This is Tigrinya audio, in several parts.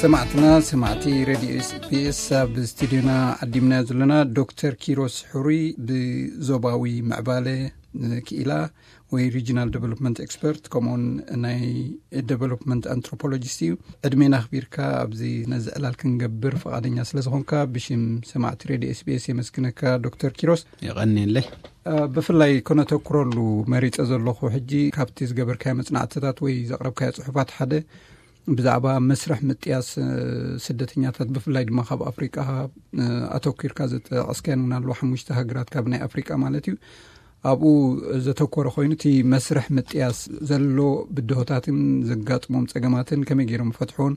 ሰማዕትና፣ ሰማዕቲ ሬድዮ ኤስቢኤስ፣ ኣብ ስቱዲዮና ዓዲምና ዘለና ዶክተር ኪሮስ ሕሩይ፣ ብዞባዊ ምዕባለ ክኢላ ወይ ሪጂናል ዴቨሎፕመንት ኤክስፐርት፣ ከምኡውን ናይ ዴቨሎፕመንት ኣንትሮፖሎጂስት እዩ። ዕድሜና ኣኽቢርካ ኣብዚ ነዚ ዕላል ክንገብር ፈቓደኛ ስለ ዝኾንካ፣ ብሽም ሰማዕቲ ሬድዮ ኤስቢኤስ የመስግነካ ዶክተር ኪሮስ። የቐንየለይ። እ፣ ብፍላይ ከነተኩረሉ መሪጸ ዘለኹ ሕጂ፣ ካብቲ ዝገበርካዮ መጽናዕትታት ወይ ዘቕረብካዮ ጽሑፋት ሓደ፣ ብዛዕባ መስርሕ ምጥያስ፣ እ፣ ስደተኛታት፣ ብፍላይ ድማ ካብ ኣፍሪቃ፣ እ፣ ኣተኲርካ ዘጠቐስካየን እውን ኣለዋ፣ ሓሙሽተ ሃገራት ካብ ናይ ኣፍሪቃ ማለት እዩ። ኣብኡ ዘተኮረ ኮይኑ፣ እቲ መስርሕ ምጥያስ ዘሎ ብድሆታትን ዘጋጥሞም ጸገማትን ከመይ ገይሮም ፈትሖን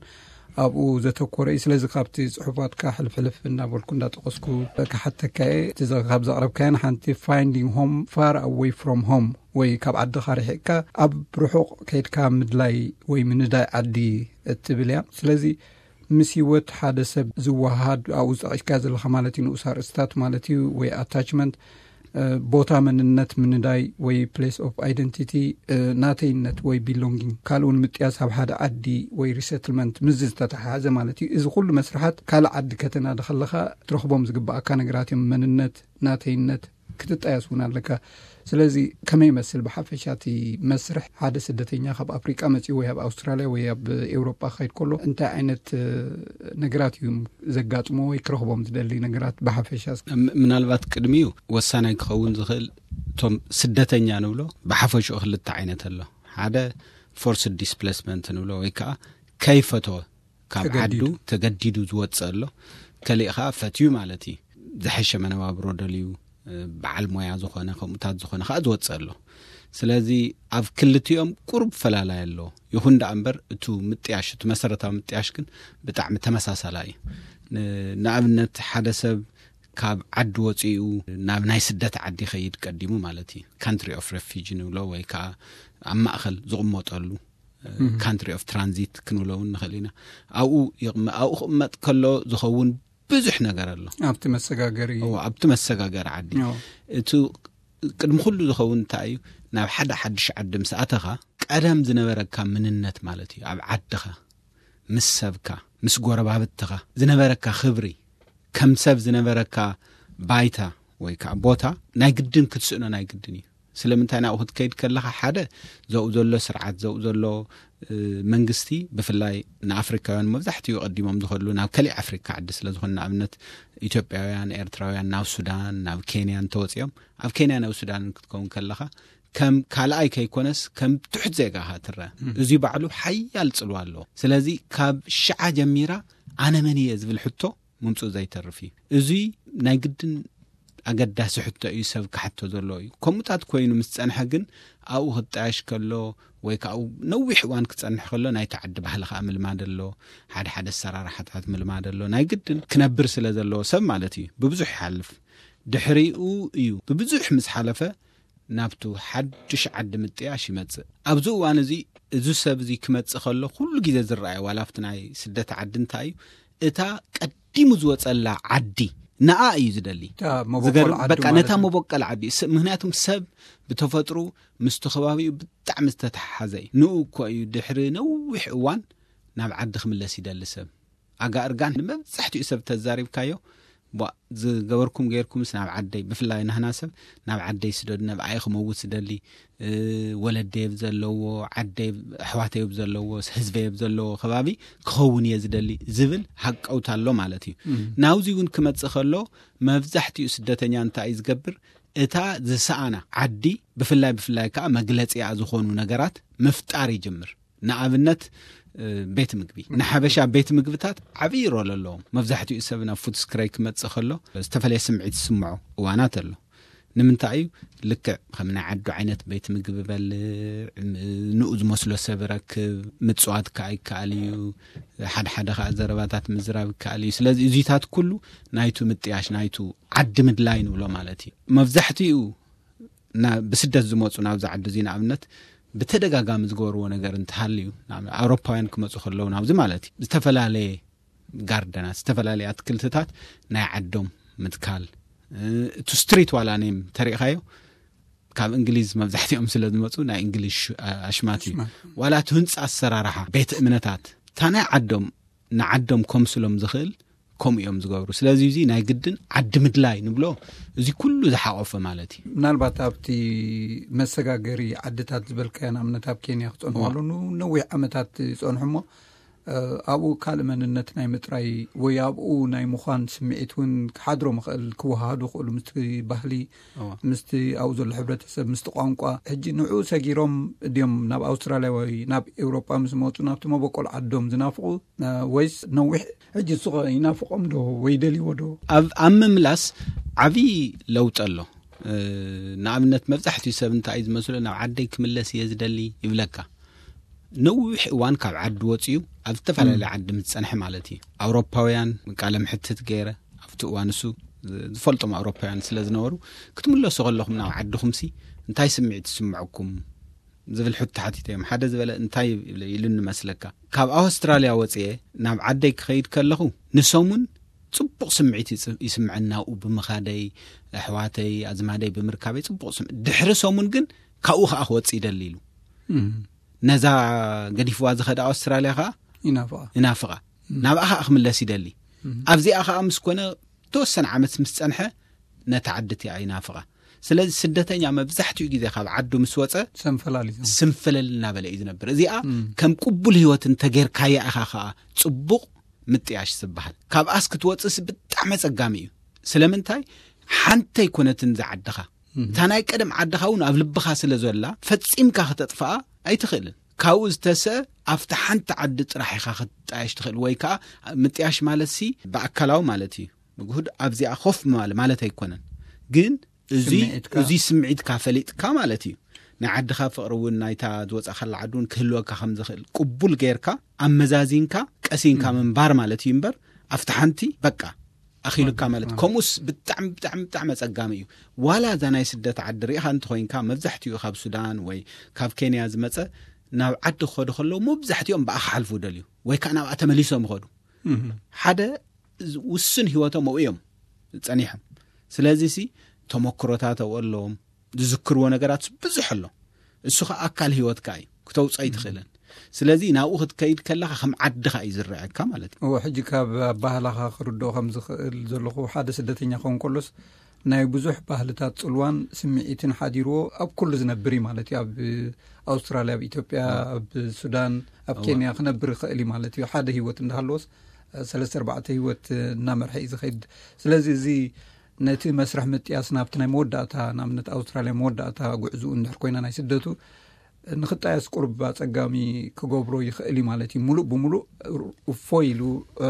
ኣብኡ ዘተኮረ እዩ። ስለዚ ካብቲ ጽሑፋትካ ሕልፍ ሕልፍ እናበልኩ እንዳጠቐስኩ ክሓተካ እየ። እቲ ዘ-፣ ካብ ዘቕረብካየን ሓንቲ፣ finding home far away from home፣ ወይ ካብ ዓድኻ ርሒቕካ ኣብ ርሑቕ ከይድካ ምድላይ ወይ ምንዳይ ዓዲ እትብል እያ። ስለዚ ምስ ህይወት ሓደ ሰብ ዝወሃሃድ፣ ኣብኡ ዝጠቒስካ ዘለኻ ማለት እዩ፣ ንኡስ ኣርእስታት ማለት እዩ፣ ወይ ኣታችመንት፣ እ፣ ቦታ መንነት ምንዳይ ወይ ፕሌስ ኦፍ ኣይደንቲቲ፣ እ፣ ናተይነት ወይ ቢሎንጊንግ፣ ካልእ እውን ምጥያስ ኣብ ሓደ ዓዲ ወይ ሪሰትልመንት፣ ምስዚ ዝተተሓሓዘ ማለት እዩ። እዚ ኩሉ መስርሓት ካልእ ዓዲ ከተናዲ ከለኻ ትረኽቦም ዝግባኣካ ነገራት እዮም። መንነት፣ ናተይነት ክትጣየስ እውን ኣለካ። ስለዚ ከመይ ይመስል ብሓፈሻ እቲ መስርሕ፣ ሓደ ስደተኛ ካብ ኣፍሪቃ መጺኡ ወይ ኣብ ኣውስትራልያ ወይ ኣብ ኤውሮጳ ክኸይድ ከሎ እንታይ ዓይነት፣ እ፣ ነገራት እዩ ዘጋጥሞ ወይ ክረኽቦም ዝደሊ ነገራት ብሓፈሻ? ም-፣ ምናልባት ቅድሚኡ ወሳናይ ክኸውን ዝኽእል፣ እቶም ስደተኛ ንብሎ ብሓፈሽኡ ክልተ ዓይነት ኣሎ። ሓደ ፎርስድ ዲስፕሌስመንት ንብሎ፣ ወይ ከዓ ከይፈተወ ካብ ተገዲዱ። ዓዱ ተገዲዱ ዝወፅእ ኣሎ። ከሊእ ከዓ ፈትዩ ማለት እዩ። ዝሐሸ መነባብሮ ደልዩ፣ እ፣ በዓል ሞያ ዝኾነ፣ ከምኡታት ዝኾነ ከዓ ዝወፅእ ኣሎ። ስለዚ ኣብ ክልቲኦም ቁሩብ ፈላላይ ኣሎ። ይኹን ደኣ እምበር፣ እቱ ምጥያሽ፣ እቱ መሰረታዊ ምጥያሽ ግን ብጣዕሚ ተመሳሳላይ እዩ። ን-፣ ንኣብነት፣ ሓደ ሰብ ካብ ዓዲ ወፂኡ ናብ ናይ ስደት ዓዲ ይኸይድ ቀዲሙ ማለት እዩ። ካንትሪ ኦፍ ሬፊጂ ንብሎ፣ ወይ ከዓ ኣብ ማእኸል ዝቕመጠሉ፣ እ፣ እህ። ካንትሪ ኦፍ ትራንዚት ክንብሎ እውን ንኽእል ኢና። ኣብኡ ይቕመ-፣ ኣብኡ ክቕመጥ ከሎ ዝኸውን ብዙሕ ነገር ኣሎ። ኣብቲ መሰጋገሪ። እዎ፣ ኣብቲ መሰጋገሪ ዓዲ። እዎ። እቲ ቅድሚ ኩሉ ዝኸውን እንታይ እዩ? ናብ ሓደ ሓድሽ ዓዲ ምስ ኣተኻ፣ ቀደም ዝነበረካ ምንነት ማለት እዩ። ኣብ ዓድኻ፣ ምስ ሰብካ፣ ምስ ጎረባብትኻ ዝነበረካ ክብሪ፣ ከም ሰብ ዝነበረካ ባይታ ወይ ከዓ ቦታ ናይ ግድን ክትስእኖ ናይ ግድን እዩ። ስለምንታይ ናብኡ ክትከይድ ከለኻ፣ ሓደ፣ ዘብኡ ዘሎ ስርዓት፣ ዘብኡ ዘሎ፣ እ፣ መንግስቲ፣ ብፍላይ ንኣፍሪካውያን መብዛሕትኡ ቀዲሞም ዝኸድሉ ናብ ከሊእ ኣፍሪካ ዓዲ ስለ ዝኾነ፣ ንኣብነት ኢትዮጵያውያን፣ ኤርትራውያን ናብ ሱዳን፣ ናብ ኬንያ እንተወፂኦም፣ ኣብ ኬንያ ናብ ሱዳን ክትከውን ከለኻ፣ ከም ካልኣይ ከይኮነስ ከም ትሑት ዜጋ ኢኻ ትረአ። እም። እዚ ባዕሉ ሓያል ጽልዋ ኣለዎ። ስለዚ ካብ ሽዓ ጀሚራ ኣነ መን እየ ዝብል ሕቶ ምምጽኡ ዘይተርፍ እዩ። እዚ ናይ ግድን ኣገዳሲ ሕቶ እዩ፣ ሰብ ክሓቶ ዘለዎ እዩ። ከምኡታት ኮይኑ ምስ ጸንሐ ግን ኣብኡ ክጣየሽ ከሎ ወይ ከዓ ነዊሕ እዋን ክጸንሕ ከሎ ናይቲ ዓዲ ባህሊ ከዓ ምልማድ ኣሎ፣ ሓደ ሓደ ኣሰራርሓታት ምልማድ ኣሎ። ናይ ግድን ክነብር ስለ ዘለዎ ሰብ ማለት እዩ ብብዙሕ ይሓልፍ። ድሕሪኡ እዩ ብብዙሕ ምስ ሓለፈ ናብቱ ሓድሽ ዓዲ ምጥያሽ ይመጽእ። ኣብዚ እዋን እዚ፣ እዚ ሰብ እዚ ክመጽእ ከሎ ኩሉ ግዜ ዝረኣየ፣ ዋላ ኣብቲ ናይ ስደት ዓዲ እንታይ እዩ፣ እታ ቀዲሙ ዝወጸላ ዓዲ፣ ንኣ እዩ ዝደሊ። እታ መበቆል ዝገርም፣ ዓዱ በቃ ማለት ነታ እዩ። መበቆል ዓዲ። ስ-፣ ምክንያቱም ሰብ ብተፈጥሩ ምስቲ ከባቢኡ ብጣዕሚ ዝተተሓሓዘ እዩ። ንኡ እኮ እዩ ድሕሪ ነዊሕ እዋን ናብ ዓዲ ክምለስ ይደሊ ሰብ። ኣጋ እርጋን ንመብዛሕትኡ ሰብ ተዛሪብካዮ፣ ቧ፣ ዝገበርኩም ገይርኩምስ ናብ ዓደይ፣ ብፍላይ ናህና ሰብ ናብ ዓደይ ስደዱ፣ ነብኣይ ክመውት ዝደሊ፣ እ፣ ወለደይ ኣብ ዘለዎ፣ ዓደይ፣ ኣሕዋተይ ኣብ ዘለዎ፣ ህዝበይ ኣብ ዘለዎ ከባቢ ክኸውን እየ ዝደሊ ዝብል ሃቀውታ ኣሎ ማለት እዩ። እም። ናብዚ እውን ክመጽእ ከሎ፣ መብዛሕትኡ ስደተኛ እንታይ እዩ ዝገብር? እታ ዝሰኣና ዓዲ፣ ብፍላይ፣ ብፍላይ ከዓ መግለጺኣ ዝኾኑ ነገራት ምፍጣር ይጅምር። ንኣብነት፣ እ፣ ቤት ምግቢ። ንሓበሻ ቤት ምግብታት ዓብዪ ሮል ኣለዎም። መብዛሕትኡ ሰብ ናብ ፉትስክረይ ክመጽእ ከሎ፣ ዝተፈላለየ ስምዒት ዝስምዖ እዋናት ኣሎ። ንምንታይ እዩ? ልክዕ ከም ናይ ዓዱ ዓይነት ቤት ምግቢ በልዕ፣ ም-፣ ንኡ ዝመስሎ ሰብ ረክብ፣ ምጽዋት ከዓ ይከኣል እዩ። ሓደ ሓደ ከዓ ዘረባታት ምዝራብ ይከኣል እዩ። ስለዚ እዚታት ኩሉ ናይቱ ምጥያሽ፣ ናይቱ ዓዲ ምድላይ ንብሎ ማለት እዩ። መብዛሕትኡ ና-፣ ብስደት ዝመጹ ናብዚ ዓዲ እዚ ንኣብነት ብተደጋጋሚ ዝገበርዎ ነገር እንተሃልዩ፣ ንኣብነት ኣውሮፓውያን ክመጹ ከለዉ ናብዚ ማለት እዩ፣ ዝተፈላለየ ጋርደናት፣ ዝተፈላለየ ኣትክልትታት ናይ ዓዶም ምትካል፣ እ፣ እቲ ስትሪት ዋላ ኔም ተሪእኻዮ፣ ካብ እንግሊዝ መብዛሕትኦም ስለ ዝመጹ ናይ እንግሊዝ ሽ-፣ ኣ-፣ ኣሽማት እዩ። ኣሽማት። ዋላ እቲ ህንጻ ኣሰራርሓ ቤት እምነታት፣ እታ ናይ ዓዶም ንዓዶም ከምስሎም ዝኽእል ከምኡ እዮም ዝገብሩ። ስለዚ እዚ ናይ ግድን ዓዲ ምድላይ ንብሎ፣ እዚ ኩሉ ዝሓቆፈ ማለት እዩ። ምናልባት ኣብቲ መሰጋገሪ ዓድታት ዝበልካዮ ንኣብነት ኣብ ኬንያ ክጸንሑ ዋ። ኣለዉ፣ ነዊሕ ዓመታት ይጸንሑ እሞ፣ እ፣ ኣብኡ ካልእ መንነት ናይ ምጥራይ ወይ ኣብኡ ናይ ምዃን ስምዒት እውን ክሓድሮም ይኽእል፣ ክወሃሃዱ ይኽእሉ ምስቲ ባህሊ፣ እዋ። ምስቲ ኣብኡ ዘሎ ሕብረተሰብ፣ ምስቲ ቋንቋ። ሕጂ ንዕኡ ሰጊሮም ድዮም ናብ ኣውስትራልያ ወይ ናብ ኤውሮጳ ምስ መጹ ናብቲ መበቆል ዓዶም ዝናፍቑ፣ እ፣ ወይስ ነዊሕ ሕጂ ንሱ ኸ ይናፍቖም ዶ ወይ ደልይዎ ዶ? ኣብ ኣብ ምምላስ ዓብዪ ለውጢ ኣሎ። እ፣ ንኣብነት መብዛሕትኡ ሰብ እንታይ እዩ ዝመስሎ፣ ናብ ዓደይ ክምለስ እየ ዝደሊ ይብለካ። ነዊሕ እዋን ካብ ዓዲ ወፂኡ ኣብ ዝተፈላለየ ዓዲ ምስ ፀንሐ ማለት እዩ። ኣውሮፓውያን ቃለ ምሕትት ገይረ ኣብቲ እዋን እሱ ዝፈልጦም ኣውሮፓውያን ስለ ዝነበሩ፣ ክትምለሱ ከለኹም ናብ ዓድኹምሲ እንታይ ስምዒት ይስምዐኩም ዝብል ሕቶ ሓቲተዮም። ሓደ ዝበለ እንታይ ኢሉኒ መስለካ፣ ካብ ኣውስትራልያ ወፅየ ናብ ዓደይ ክኸይድ ከለኹ ንሰሙን ፅቡቕ ስምዒት ይጽ- ይስምዐኒ፣ ናብኡ ብምኻደይ፣ ኣሕዋተይ ኣዝማደይ ብምርካበይ ፅቡቕ ስምዒት። ድሕሪ ሰሙን ግን ካብኡ ከዓ ክወፅ ይደሊ ኢሉ። ነዛ ገዲፍዋ ዝኸደ ኣውስትራልያ ከዓ ይናፍቓ። ይናፍቓ፣ ናብኣ ከዓ ክምለስ ይደሊ። ኣብዚኣ ከዓ ምስ ኮነ ተወሰነ ዓመት ምስ ፀንሐ ነታ ዓዲ እቲኣ ይናፍቓ። ስለዚ ስደተኛ መብዛሕትኡ ግዜ ካብ ዓዱ ምስ ወፀ ሰንፈላል እዩ። ስንፍልል እናበለ እዩ ዝነብር። እዚኣ ከም ቅቡል ህይወት እንተጌርካያ ኢኻ ከዓ ፅቡቕ ምጥያሽ ዝበሃል። ካብኣስ ክትወፅስ ብጣዕሚ ኣፀጋሚ እዩ። ስለምንታይ? ሓንቲ ኣይኮነትን ዝዓድኻ፣ እታ ናይ ቀደም ዓድኻ እውን ኣብ ልብኻ ስለ ዘላ ፈፂምካ ክተጥፍኣ ኣይትኽእልን። ካብኡ ዝተሰ ኣብቲ ሓንቲ ዓዲ ጥራሕ ኢኻ ክትጣየሽ ትኽእል። ወይ ከዓ ምጥያሽ ማለት ሲ ብኣካላዊ ማለት እዩ፣ ብግሁድ ኣብዚኣ ኮፍ ምባል ማለት ኣይኮነን። ግን እዚ ስምዒትካ። እዚ ስምዒትካ ፈሊጥካ ማለት እዩ። ናይ ዓድኻ ፍቕሪ እውን ናይታ ዝወፃእካላ ዓዲ እውን ክህልወካ ከም ዝኽእል ቅቡል ጌርካ ኣመዛዚንካ ቀሲንካ ምንባር ማለት እዩ እምበር ኣብቲ ሓንቲ በቃ ኣኺሉካ ማለት እዩ። ከምኡስ ብጣዕሚ ብጣዕሚ ብጣዕሚ ኣፀጋሚ እዩ። ዋላ እዛ ናይ ስደት ዓዲ ሪኢኻ እንተኾይንካ መብዛሕትኡ ካብ ሱዳን ወይ ካብ ኬንያ ዝመፀ ናብ ዓዲ ክኸዱ ከለዉ መብዛሕትኦም ብኣ ክሓልፉ ደልዩ ወይ ከዓ ናብኣ ተመሊሶም ይኸዱ። ሓደ ውሱን ህይወቶም ኣብኡ እዮም ጸኒሖም። ስለዚ ሲ ተመክሮታት ኣብኡ ኣለዎም፣ ዝዝክርዎ ነገራት ብዙሕ ኣሎ። እሱ ኸዓ ኣካል ህይወትካ እዩ፣ ክተውፅኦ ኣይትኽእልን። ስለዚ ናብኡ ክትከይድ ከለኻ ከም ዓድኻ እዩ ዝረኣየካ ማለት እዩ። እዎ፣ ሕጂ ካብ ኣባህላኻ ክርድኦ ከም ዝኽእል ዘለኹ ሓደ ስደተኛ ክኸውን ከሎስ ናይ ብዙሕ ባህልታት ጽልዋን ስምዒትን ሓዲርዎ ኣብ ኩሉ ዝነብር እዩ ማለት እዩ። ኣብ ኣውስትራልያ፣ ኣብ ኢትዮጵያ፣ ኣብ ሱዳን፣ ኣብ እዋ። ኬንያ ክነብር ይኽእል እዩ ማለት እዩ። ሓደ ህይወት እንዳሃለዎስ ሰለስተ ኣርባዕተ ህይወት እናመርሐ እዩ ዝኸይድ። ስለዚ እዚ ነቲ መስርሕ ምጥያስ ናብቲ ናይ መወዳእታ፣ ንኣብነት ኣውስትራልያ መወዳእታ ጉዕዝኡ እንድሕር ኮይና ናይ ስደቱ ንኽጣየስ ቁሩብ ኣጸጋሚ ክገብሮ ይኽእል እዩ ማለት እዩ። ሙሉእ ብሙሉእ እፎይ ኢሉ፣ እ፣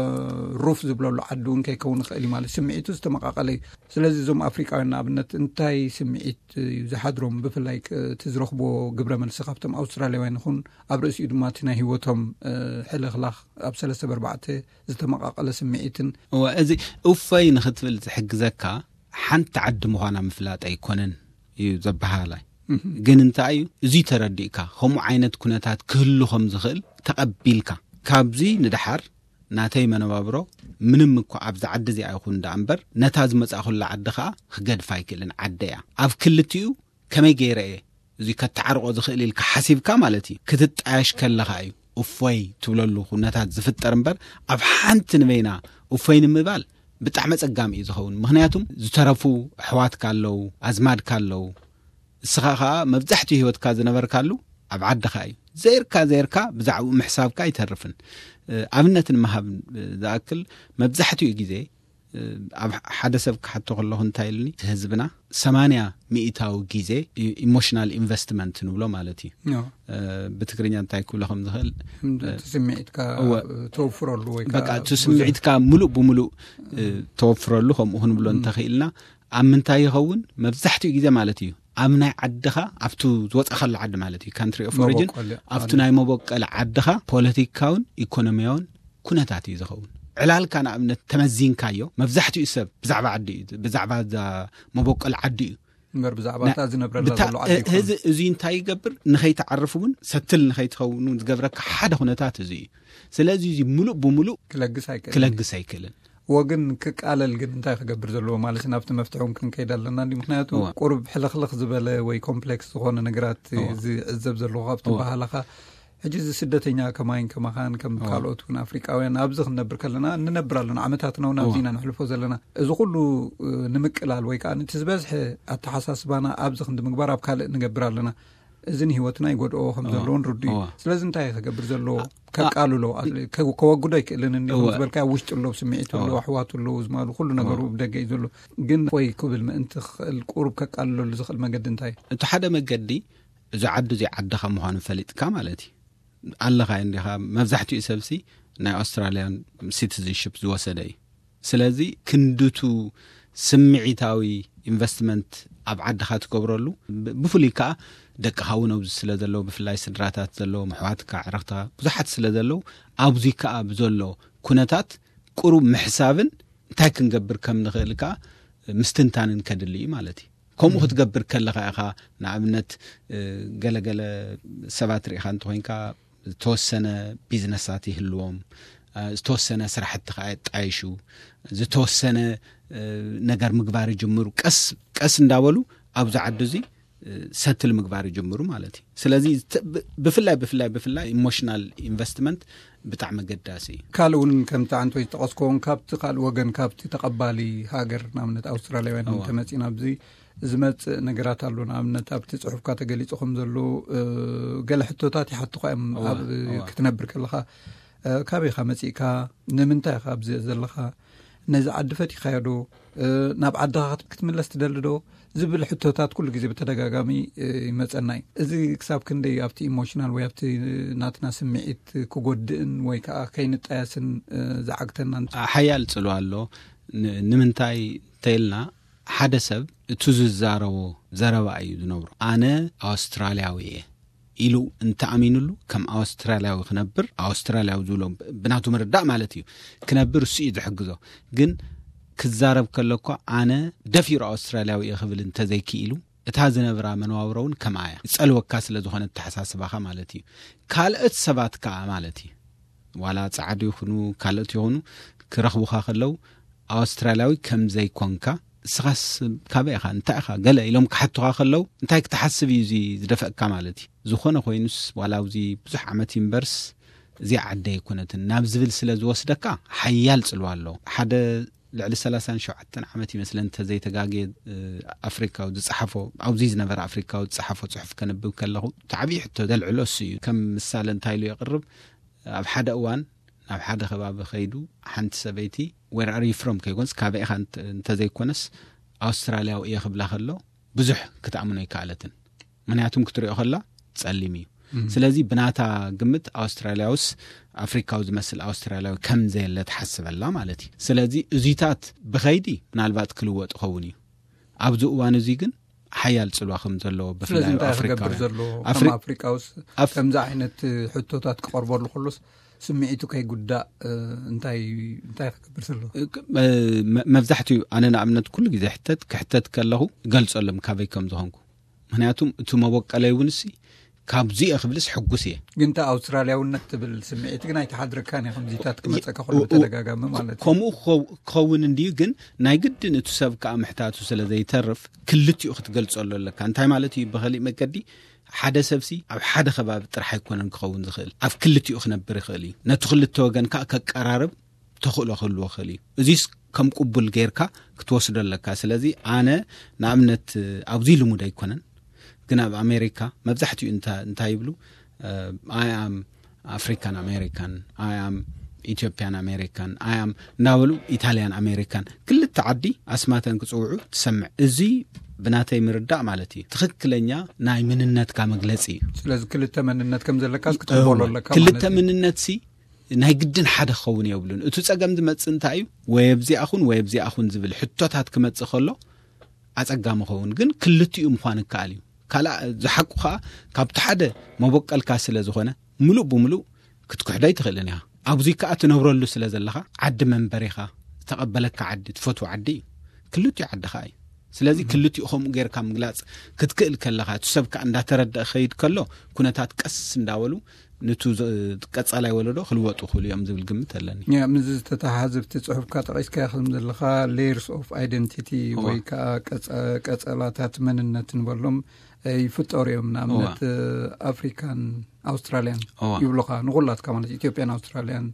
ሩፍ ዝብለሉ ዓዲ እውን ከይከውን ይኽእል እዩ ማለት እዩ። ስምዒቱ ዝተመቓቐለ እዩ። ስለዚ እዞም ኣፍሪቃውያን ንኣብነት እንታይ ስምዒት እዩ ዝሓድሮም? ብፍላይ ክ-፣ እቲ ዝረኽብዎ ግብረ መልሲ ካብቶም ኣውስትራልያውያን ይኹን ኣብ ርእሲኡ ድማ እቲ ናይ ህይወቶም፣ እ፣ ሕልኽላኽ ኣብ ሰለስተ ብኣርባዕተ ዝተመቓቐለ ስምዒትን እወ፣ እዚ እፎይ ንኽትብል ዝሕግዘካ ሓንቲ ዓዲ ምዃና ምፍላጥ ኣይኮነን እዩ ዘበሃላይ። ግን እንታይ እዩ፣ እዚ ተረዲእካ ከምኡ ዓይነት ኩነታት ክህሉ ከም ዝኽእል ተቐቢልካ፣ ካብዚ ንደሓር ናተይ መነባብሮ ምንም እኳ ኣብዚ ዓዲ እዚኣ ይኹን ደኣ እምበር፣ ነታ ዝመጻእኩላ ዓዲ ኸኣ ክገድፋ ኣይክእልን። ዓደይ እያ። ኣብ ክልቲኡ ከመይ ገይረ እየ እዚ ከተዓርቆ ዝኽእል ኢልካ ሓሲብካ ማለት እዩ። ክትጣየሽ ከለኻ እዩ እፎይ ትብለሉ ኩነታት ዝፍጠር እምበር፣ ኣብ ሓንቲ ንበይና እፎይ ንምባል ብጣዕሚ ኣጸጋሚ እዩ ዝኸውን። ምኽንያቱም ዝተረፉ ኣሕዋትካ ኣለዉ፣ ኣዝማድካ ኣለዉ። እስኻ ኸኣ መብዛሕትኡ ህይወትካ ዝነበርካሉ ኣብ ዓድኻ እዩ። ዘይርካ ዘይርካ ብዛዕባኡ ምሕሳብካ ኣይተርፍን። እ፣ ኣብነት ንምሃብ ዝኣክል፣ መብዛሕትኡ ግዜ፣ እ፣ ኣብ ሓደ ሰብ ክሓቶ ከለኹ እንታይ ኢሉኒ፣ እቲ ህዝብና ሰማንያ ሚእታዊ ግዜ ኢ-፣ ኢሞሽናል ኢንቨስትመንት ንብሎ ማለት እዩ። ኖ። እ፣ ብትግርኛ እንታይ ክብሎ ከም ዝኽእል፣ እቲ ስምዒትካ እወ። ተወፍረሉ ወይ በቃ፣ ከዓ እቲ ብዙሕ ስምዒትካ ምሉእ ብምሉእ፣ እ፣ ተወፍረሉ፣ ከምኡ ክንብሎ እንተኽኢልና፣ ኣብ ምንታይ ይኸውን? መብዛሕትኡ ግዜ ማለት እዩ፣ ኣብ ናይ ዓድኻ፣ ኣብቱ ዝወጻእካሉ ዓዲ ማለት እዩ፣ ካንትሪ ኦፍ ኦሪጅን፣ መበቆል፣ ኣብቱ ናይ መበቀል ዓድኻ ፖለቲካውን ኢኮኖሚያውን ኩነታት እዩ ዝኸውን። ዕላልካ ንኣብነት ተመዚንካዮ፣ መብዛሕትኡ ሰብ ብዛዕባ ዓዲ እዩ፣ ብዛዕባ እዛ መበቆል ዓዲ እዩ። እምበር ብዛዕባ ና-፣ እታ ዝነብረላ ብታ-፣ ዘሎ ዓዲ እ-፣ ኣይኮነን። እዚ፣ እዚ እንታይ ይገብር? ንኸይትዓርፍ እውን፣ ሰትል ንኸይትኸውን እውን ዝገብረካ ሓደ ኩነታት እዚ እዩ። ስለዚ እዚ ምሉእ ብምሉእ ክለግስ ኣይክእልን። ክለግስ ኣይክእልን። እዎ፣ ግን ክቃለል ግን እንታይ ክገብር ዘለዎ ማለት ናብቲ መፍትሒ እውን ክንከይድ ኣለና እንዲ? ምኽንያቱ እዎ። ቁሩብ ሕልኽልኽ ዝበለ ወይ ኮምፕሌክስ ዝኾነ ነገራት እዎ። ዝዕዘብ ዘለኹ ካብቲ እዎ። ባህላኻ ሕጂ እዚ ስደተኛ ከማይን ከማኻን ከም እዋ። ካልኦት እውን ኣፍሪቃውያን ኣብዚ ክንነብር ከለና ንነብር ኣለና። ዓመታትና እውን ኣብዚ እዋ። ኢና ነሕልፎ ዘለና። እዚ ኩሉ እ፣ ንምቅላል ወይ ከዓ ነቲ ዝበዝሐ ኣተሓሳስባና ኣብዚ ክንዲ ምግባር ኣብ ካልእ ንገብር ኣለና። እዚ ንህይወትና ይጎድኦ ከም እዋ። ዘለዎን ርዱ እዩ። እዋ። ስለዚ እንታይ እዩ ክገብር ዘለዎ? ከቃልሎ ኣት- ከ- ከወግዶ ኣይክእልን እንዲ እዋ። ዝበልካ ውሽጢ ኣሎ፣ ስምዒት ኣሎ፣ እዋ። ኣሕዋት ኣሎ፣ ዝማሉ ኩሉ ነገሩ እዋ። ብደገ እዩ ዘሎ። ግን ወይ ክብል ምእንቲ ክኽእል ቁሩብ ከቃልለሉ ዝኽእል መገዲ እንታይ እዩ? እቲ ሓደ መገዲ እዚ ዓዲ እዚ ዓድኻ ምዃኑ ፈሊጥካ ማለት እዩ። ኣለኻ እንዲኻ። መብዛሕትኡ ሰብሲ ናይ ኣውስትራልያን ሲቲዝንሽፕ ዝወሰደ እዩ። ስለዚ ክንድቱ ስምዒታዊ ኢንቨስትመንት ኣብ ዓድኻ ትገብረሉ፣ ብ- ብፍሉይ ከዓ ደቅኻ እውን ኣብዚ ስለ ዘለዉ፣ ብፍላይ ስድራታት ዘለዎም፣ ኣሕዋትካ፣ ዕረኽትኻ ብዙሓት ስለ ዘለዉ፣ ኣብዚ ከዓ ብዘሎ ኩነታት ቁሩብ ምሕሳብን እንታይ ክንገብር ከም ንኽእል ከዓ ምስትንታንን ከድሊ እዩ ማለት እዩ። ከምኡ ክትገብር ከለኻ ኢኻ፣ ንኣብነት እ፣ ገለገለ ሰባት ርኢኻ እንተኾይንካ ዝተወሰነ ቢዝነሳት ይህልዎም፣ እ፣ ዝተወሰነ ስራሕቲ ከዓ የጣይሹ፣ ዝተወሰነ እ፣ ነገር ምግባር ይጅምሩ። ቀስ ቀስ እንዳበሉ ኣብዚ ዓዲ እዚ እ፣ ሰትል ምግባር ይጅምሩ ማለት እዩ። ስለዚ ዝተ- ብ- ብፍላይ ብፍላይ ብፍላይ ኢሞሽናል ኢንቨስትመንት ብጣዕሚ ኣገዳሲ እዩ። ካልእ እውን ከምቲ ዓንቶ ዝጠቐስክዎን ካብቲ ካልእ ወገን ካብቲ ተቐባሊ ሃገር ንኣብነት ኣውስትራልያውያን እዋ። እንተመፂና ኣብዚ ዝመፅእ ነገራት ኣሎ። ንኣብነት ኣብቲ ፅሑፍካ ተገሊፁ ከም ዘሎ እ፣ ገለ ሕቶታት ይሓትኳ እዮም። እዋ፣ ኣብ እዋ። ክትነብር ከለኻ እ፣ ካበይ ኢኻ መፂእካ? ንምንታይ ኢኻ ኣብዚ ዘለኻ? ነዚ ዓዲ ፈቲኻዮ ዶ? እ፣ ናብ ዓድኻ ክት- ክትምለስ ትደሊ ዶ? ዝብል ሕቶታት ኩሉ ግዜ ብተደጋጋሚ እ፣ ይመፀና እዩ። እዚ ክሳብ ክንደይ ኣብቲ ኢሞሽናል ወይ ኣብቲ ናትና ስምዒት ክጎድእን ወይ ከዓ ከይንጣየስን እ፣ ዝዓግተና? ሓያል ጽልዋ ኣሎ። ን- ንምንታይ እንተኢልና ሓደ ሰብ እቱ ዝዛረቦ ዘረባ እዩ ዝነብሮ። ኣነ ኣውስትራልያዊ እየ ኢሉ እንተኣሚኑሉ ከም ኣውስትራልያዊ ክነብር ኣውስትራልያዊ ዝብሎ ብናቱ ምርዳእ ማለት እዩ ክነብር እሱ እዩ ዝሕግዞ። ግን ክዛረብ ከሎ እኳ ኣነ ደፊሩ ኣውስትራልያዊ እየ ክብል እንተዘይክኢሉ እታ ዝነብራ መነባብሮ እውን ከምኣ እያ። ይጸልወካ ስለ ዝኾነ ኣተሓሳስባኻ ማለት እዩ። ካልኦት ሰባት ከኣ ማለት እዩ ዋላ ጻዕዱ ይኹኑ ካልኦት ይኹኑ ክረኽቡኻ ከለዉ ኣውስትራልያዊ ከም ዘይኮንካ እስኻስ ካበይ ኢኻ እንታይ ኢኻ ገለ ኢሎም ክሓቱኻ ከለዉ እንታይ ክትሓስብ እዩ እዚ ዝደፈእካ ማለት እዩ። ዝኾነ ኮይኑስ ዋላ ኣብዚ ብዙሕ ዓመት ይንበርስ እዚኣ ዓደይ ኣይኮነትን ናብ ዝብል ስለ ዝወስደካ ሓያል ጽልዋ ኣሎ። ሓደ ልዕሊ ሰላሳን ሸውዓተን ዓመት ይመስለን እንተዘይተጋግየ ኣፍሪካዊ ዝፀሓፎ ኣብዚ ዝነበረ ኣፍሪካዊ ዝፀሓፎ ፅሑፍ ከንብብ ከለኹ እቲ ዓብዪ ሕቶ ዘልዕሎ እሱ እዩ። ከም ምሳሌ እንታይ ኢሉ የቕርብ? ኣብ ሓደ እዋን ናብ ሓደ ከባቢ ከይዱ ሓንቲ ሰበይቲ where are you from ከይኮንስ ካበይ ኢኻ እንተ- እንተዘይኮነስ ኣውስትራልያዊ እየ ክብላ ከሎ ብዙሕ ክትኣምኖ ኣይከኣለትን። ምክንያቱም ክትሪኦ ከላ ጸሊም እዩ። ስለዚ ብናታ ግምት ኣውስትራልያውስ ኣፍሪካዊ ዝመስል ኣውስትራልያዊ ከም ዘየለ ትሓስበላ ማለት እዩ። ስለዚ እዚታት ብኸይዲ ምናልባት ክልወጥ ይኸውን እዩ። ኣብዚ እዋን እዚ ግን ሓያል ጽልዋ ከም ዘለዎ ስለዚ ብፍላይ እንታይ ኣፍሪካውያን ክገብር ዘለዎ ኣፍሪ- ከም ኣፍሪቃውስ ኣፍ- ከምዚ ዓይነት ሕቶታት ክቐርበሉ ከሎስ ስምዒቱ ከይጉዳእ እንታይ እንታይ ክገብር ዘለዎ? መ- መብዛሕትኡ ኣነ ንኣብነት ኩሉ ግዜ ሕተት ክሕተት ከለኹ ገልጸሎም ካበይ ከም ዝኾንኩ። ምክንያቱም እቲ መበቀለይ እውን ሲ ካብዚ እየ ክብልስ ሕጉስ እየ። ግን እቲ ኣውስትራልያውነት ትብል ስምዒት ግን ኣይተሓድረካን እየ ከምዚታት ክመፀካ ከሎ ኡ- ኡ- ብተደጋጋሚ ማለት እዩ። ከምኡ ክኸው- ክኸውን እንድዩ። ግን ናይ ግድን እቲ ሰብ ከዓ ምሕታቱ ስለ ዘይተርፍ ክልቲኡ ክትገልጸሉ ኣለካ። እንታይ ማለት እዩ? ብኸሊእ መገዲ ሓደ ሰብሲ ኣብ ሓደ ከባቢ ጥራሕ ኣይኮነን ክኸውን ዝኽእል፣ ኣብ ክልቲኡ ክነብር ይኽእል እዩ። ነቲ ክልተ ወገን ከዓ ከቀራርብ ተኽእሎ ክህልዎ ክእል እዩ። እዚስ ከም ቅቡል ጌርካ ክትወስዶ ኣለካ። ስለዚ ኣነ ንኣብነት ኣብዚ ልሙድ ኣይኮነን፣ ግን ኣብ ኣሜሪካ መብዛሕትኡ እንታ- እንታይ ይብሉ? I am African American, I am Ethiopian American, I am እናበሉ ኢታልያን ኣሜሪካን ክልተ ዓዲ ኣስማተን ክፅውዑ ትሰምዕ። እዚ ብናተይ ምርዳእ ማለት እዩ ትኽክለኛ ናይ ምንነትካ መግለፂ እዩ። ስለዚ ክልተ መንነት ከም ዘለካስ ክትቕበሎ ኣለካ ክልተ ማለት እዩ። ምንነት ሲ ናይ ግድን ሓደ ክኸውን የብሉን። እቲ ጸገም ዝመጽእ እንታይ እዩ? ወይ ኣብዚኣ ኹን ወይ ኣብዚኣ ኹን ዝብል ሕቶታት ክመጽእ ከሎ ኣጸጋሚ ኸውን፣ ግን ክልቲኡ ምዃን ይከኣል እዩ። ካልኣ ዝሓቁ ኸኣ ካብቲ ሓደ መበቀልካ ስለ ዝኾነ ምሉእ ብምሉእ ክትክሕዶ ኣይትኽእልን ኢኻ። ኣብዚ ከኣ ትነብረሉ ስለ ዘለኻ ዓዲ መንበሪኻ ዝተቐበለካ ዓዲ ትፈትዎ ዓዲ እዩ። ክልቲኡ ዓድኻ እዩ። ስለዚ ክልቲኡ ከምኡ ጌርካ ምግላጽ ክትክእል ከለኻ እቲ ሰብ ከኣ እንዳተረደአ ክኸይድ ከሎ ኩነታት ቀስ እንዳበሉ ንቱ ዝ- ቀጻላይ ወለዶ ክልወጡ ክእሉ እዮም ዝብል ግምት ኣለኒ። ያ፣ ምስዚ ዝተተሓሓዘ ኣብቲ ጽሑፍካ ጠቒስካዮ ከም ዘለኻ layers of identity እዋ። ወይ ከዓ ቀጸ- ቀጸላታት መንነት ንበሎም ይፍጠሩ እዮም። ንኣብነት ኣፍሪካን ኣውስትራልያን ይብሉኻ፣ ንኹላትካ ማለት ኢትዮጵያን ኣውስትራልያን፣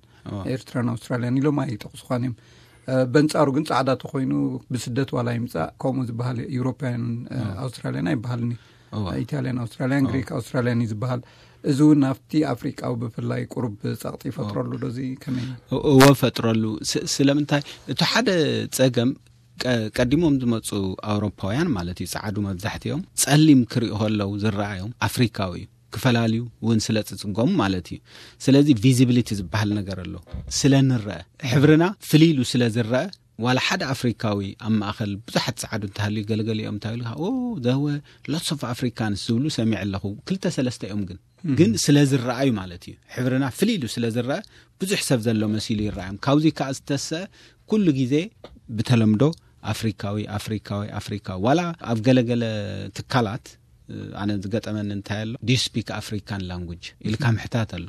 ኤርትራን ኣውስትራልያን ኢሎም ኣይጠቕሱኻን እዮም። በንጻሩ ግን ጻዕዳ ተኮይኑ ብስደት ዋላ ይምጻእ ከምኡ ዝበሃል፣ ዩሮፓያን ኣውስትራልያን ኣይበሃልን እዩ። ኢታልያን ኣውስትራልያን፣ ግሪክ ኣውስትራልያን እዩ ዝበሃል። እዚ እውን ኣብቲ ኣፍሪቃዊ ብፍላይ ቁሩብ ጸቕጢ ይፈጥረሉ ዶ? እዚ ከመይ? እወ፣ ፈጥረሉ። ስለምንታይ? እቲ ሓደ ጸገም፣ ቀዲሞም ዝመፁ ኣውሮፓውያን ማለት እዩ፣ ፃዕዱ መብዛሕትኦም ጸሊም ክሪኡ ከለው ዝረኣዮም ኣፍሪካዊ እዩ። ክፈላልዩ እውን ስለ ዝፅገሙ ማለት እዩ። ስለዚ ቪዚቢሊቲ ዝበሃል ነገር ኣሎ። ስለ ንረአ፣ ሕብርና ፍልይ ኢሉ ስለ ዝረአ፣ ዋላ ሓደ ኣፍሪካዊ ኣብ ማእኸል ብዙሓት ፃዕዱ እንተሃልዩ፣ ገለገሊኦም እንታይ ኢሉ፣ ኦ፣ there were lots of Africans ዝብሉ ሰሚዐ ኣለኹ። ክልተ ሰለስተ እዮም ግን ግን ስለ ዝረኣዩ ማለት እዩ። ሕብርና ፍልይ ኢሉ ስለ ዝረአ ብዙሕ ሰብ ዘሎ መሲሉ ይረኣዮም። ካብዚ ከዓ ዝተሰ ኩሉ ግዜ ብተለምዶ ኣፍሪካዊ፣ ኣፍሪካዊ፣ ኣፍሪካዊ። ዋላ ኣብ ገለገለ ትካላት ኣነ ዝገጠመኒ እንታይ ኣሎ፣ do you speak African language ኢልካ ምሕታት ኣሎ።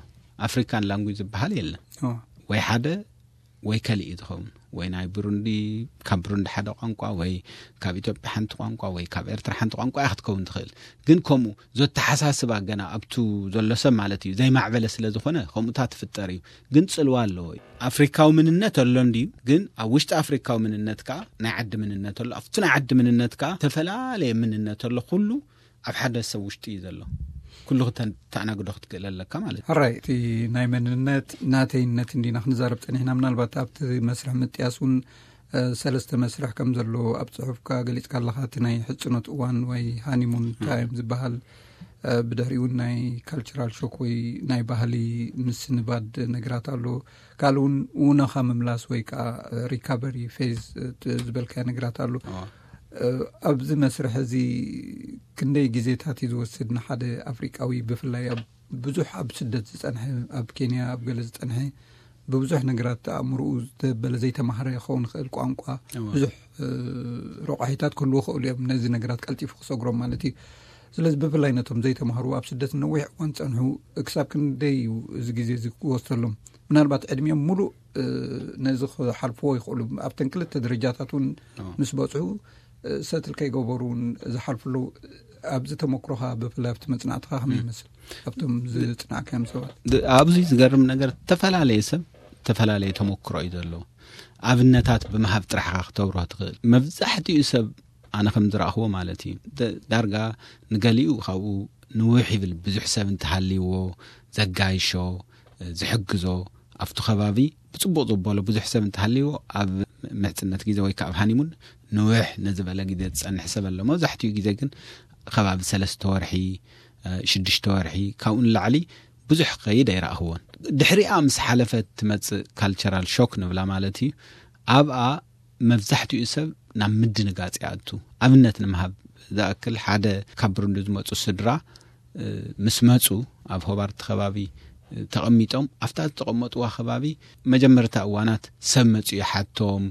ኣፍሪካን ላንጉጅ ዝበሃል የለን። ወይ ሓደ ወይ ከሊእ እዩ ዝኸውን። ወይ ናይ ብሩንዲ፣ ካብ ብሩንዲ ሓደ ቋንቋ፣ ወይ ካብ ኢትዮጵያ ሓንቲ ቋንቋ፣ ወይ ካብ ኤርትራ ሓንቲ ቋንቋ እያ ክትከውን ትኽእል። ግን ከምኡ ዘተሓሳስባ ገና ኣብቱ ዘሎ ሰብ ማለት እዩ ዘይማዕበለ ስለ ዝኾነ ከምኡታት ትፍጠር እዩ። ግን ጽልዋ ኣለዎ እዩ። ኣፍሪካዊ ምንነት ኣሎ እንድዩ፣ ግን ኣብ ውሽጢ ኣፍሪካዊ ምንነት ከዓ ናይ ዓዲ ምንነት ኣሎ። ኣብቲ ናይ ዓዲ ምንነት ከዓ ዝተፈላለየ ምንነት ኣሎ። ኩሉ ኣብ ሓደ ሰብ ውሽጢ እዩ ዘሎ። ኩሉ ክተን-፣ ተኣናግዶ ክትክእል ኣለካ ማለት እዩ። ሕራይ፣ እቲ ናይ መንነት ናተይነት እንዲና ክንዛረብ ጸኒሕና። ምናልባት ኣብቲ መስርሕ ምጥያስ እውን፣ እ፣ ሰለስተ መስርሕ ከም ዘሎ ኣብ ጽሑፍካ ገሊጽካ ኣለኻ። እቲ ናይ ሕጽኖት እዋን ወይ ሃኒሙን ታይም ዝበሃል፣ እ፣ ብድሕሪኡ ናይ ካልቸራል ሾክ ወይ ናይ ባህሊ ምስንባድ ነገራት ኣሎ። ካልእ እውን ውነኻ ምምላስ ወይ ከዓ ሪካቨሪ ፌዝ፣ እ፣ ዝበልካዮ ነገራት ኣሎ። እ፣ ኣብዚ መስርሕ እዚ ክንደይ ግዜታት እዩ ዝወስድ ንሓደ ኣፍሪቃዊ፣ ብፍላይ ኣብ ብዙሕ ኣብ ስደት ዝጸንሐ፣ ኣብ ኬንያ ኣብ ገለ ዝጸንሐ፣ ብብዙሕ ነገራት ኣእምሮኡ ዝተበለ ዘይተማህረ ክኸውን ይኽእል፣ ቋንቋ፣ ብዙሕ፣ እ፣ ረቋሒታት ክህልዎ ይኽእሉ እዮም፣ ነዚ ነገራት ቀልጢፉ ክሰግሮም ማለት እዩ። ስለዚ ብፍላይ ነቶም ዘይተማህሩ ኣብ ስደት ነዊሕ እዋን ዝጸንሑ ክሳብ ክንደይ እዩ እዚ ግዜ እዚ ክወስደሎም? ምናልባት ዕድሚኦም ሙሉእ፣ እ፣ ነዚ ክሓልፍዎ ይኽእሉ። ኣብተን ክልተ ደረጃታት እውን ምስ በጽሑ፣ እ፣ ሰትል ከይገበሩ እውን ዝሓልፉ ኣለዉ። ኣብዚ ተመክሮኻ ብፍላይ ኣብቲ መጽናዕትኻ ከመይ ይመስል? ኣብቶም ዝጽናዕካዮም ሰባት? ድ-፣ ኣብዚ ዝገርም ነገር ዝተፈላለየ ሰብ ዝተፈላለየ ተመክሮ እዩ ዘለዎ። ኣብነታት ብምሃብ ጥራሕ ኢኻ ክተብርሆ ትኽእል። መብዛሕትኡ ሰብ ኣነ ከም ዝረኣኽዎ ማለት እዩ። ደ-፣ ዳርጋ ንገሊኡ ካብኡ ንውሕ ይብል፣ ብዙሕ ሰብ እንተሃልይዎ ዘጋይሾ፣ ዝሕግዞ፣ ኣብቲ ከባቢ ብጽቡቕ ዘበሎ ብዙሕ ሰብ እንተሃልይዎ ኣብ ምሕጽነት ግዜ ወይ ከዓ ኣብ ሃኒሙን ንውሕ ንዝበለ ግዜ ዝጸንሕ ሰብ ኣሎ። መብዛሕትኡ ግዜ ግን ከባቢ ሰለስተ ወርሒ፣ እ፣ ሽዱሽተ ወርሒ፣ ካብኡ ንላዕሊ ብዙሕ ክኸይድ ኣይረኣኽዎን። ድሕሪኣ ምስ ሓለፈት ትመጽእ ካልቸራል ሾክ ንብላ ማለት እዩ። ኣብኣ መብዛሕትኡ ሰብ ናብ ምድንጋጽ ይኣቱ። ኣብነት ንምሃብ ዝኣክል፣ ሓደ ካብ ብሩንዲ ዝመጹ ስድራ፣ እ፣ ምስ መጹ ኣብ ሆባርት ከባቢ፣ እ፣ ተቐሚጦም፣ ኣብታ ዝተቐመጥዋ ከባቢ መጀመርታ እዋናት ሰብ መጺኡ ይሓቶም፣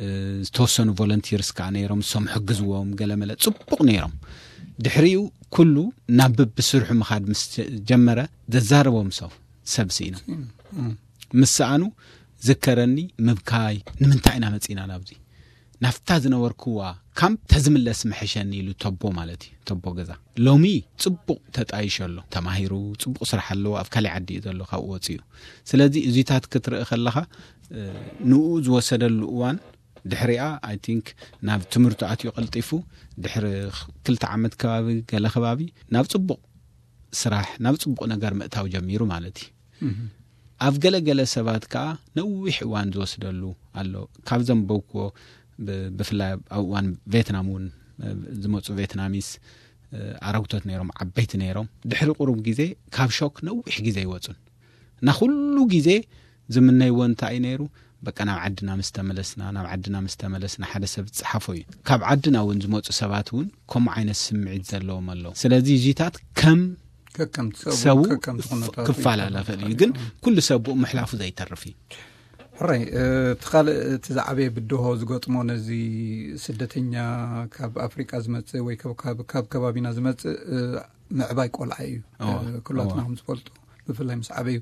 እ፣ ዝተወሰኑ ቮለንቲርስ ከኣ ነይሮም፣ ንሶም ሕግዝዎም፣ ገለመለ ጽቡቕ ነይሮም። ድሕሪኡ ኩሉ ናብ ብስርሑ ምኻድ ምስ ጀመረ፣ ዘዛርቦም ሰብ፣ ሰብ ስኢኖም። እም። ምስ ሰኣኑ ዝከረኒ ምብካይ፣ ንምንታይ ኢና መጺና ናብዚ? ናብታ ዝነበርክዋ ካምፕ ተዝምለስ ምሕሸኒ ኢሉ ተቦ ማለት እዩ፣ ተቦ ገዛ። ሎሚ ጽቡቕ ተጣይሾ ኣሎ፣ ተማሂሩ፣ ጽቡቕ ስራሕ ኣለዎ፣ ኣብ ካልእ ዓዲ እዩ ዘሎ፣ ካብኡ ወጺኡ። ስለዚ እዚታት ክትርኢ ከለኻ፣ እ፣ ንኡ ዝወሰደሉ እዋን ድሕሪኣ፣ ኣይ ቲንክ፣ ናብ ትምህርቱ ኣትዩ ቀልጢፉ፣ ድሕሪ ክልተ ዓመት ከባቢ፣ ገለ ከባቢ፣ ናብ ጽቡቕ ስራሕ፣ ናብ ጽቡቕ ነገር ምእታው ጀሚሩ ማለት እዩ። እም። ኣብ ገለ ገለ ሰባት ከኣ ነዊሕ እዋን ዝወስደሉ ኣሎ። ካብ ዘንበብክዎ፣ ብ-፣ ብፍላይ ኣብ እዋን ቬትናም እውን፣ እ፣ ዝመጹ ቬትናሚስ፣ እ፣ ኣረግቶት ነይሮም፣ ዓበይቲ ነይሮም። ድሕሪ ቁሩብ ግዜ ካብ ሾክ ነዊሕ ግዜ ይወጹን። እና ኩሉ ግዜ ዝምነይዎ እንታይ እዩ ነይሩ? በቃ ናብ ዓድና ምስ ተመለስና፣ ናብ ዓድና ምስ ተመለስና፣ ሓደ ሰብ ዝጸሓፎ እዩ። ካብ ዓድና እውን ዝመጹ ሰባት እውን ከምኡ ዓይነት ስምዒት ዘለዎም ኣለዉ። ስለዚ እዚታት ከም ከከም ሰቡ ሰቡ ከከም ክፍ-፣ ኩነታቱ ክፈላለ ይፈላለ ይኽእል እዩ። ይኽእል ግን እዩ። ኩሉ ሰብ ብኡ ምሕላፉ ዘይተርፍ እዩ። ሕራይ፣ እ፣ እቲ ካልእ፣ እቲ ዝዓበየ ብድሆ ዝገጥሞ ነዚ ስደተኛ ካብ ኣፍሪቃ ዝመጽእ ወይ ካብ፣ ካብ፣ ካብ ከባቢና ዝመጽእ፣ እ፣ ምዕባይ ቆልዓ እዩ። እዋ፣ እ፣ ኩላትና እዋ። ከም ዝፈልጦ፣ ብፍላይ ምስ ዓበዩ፣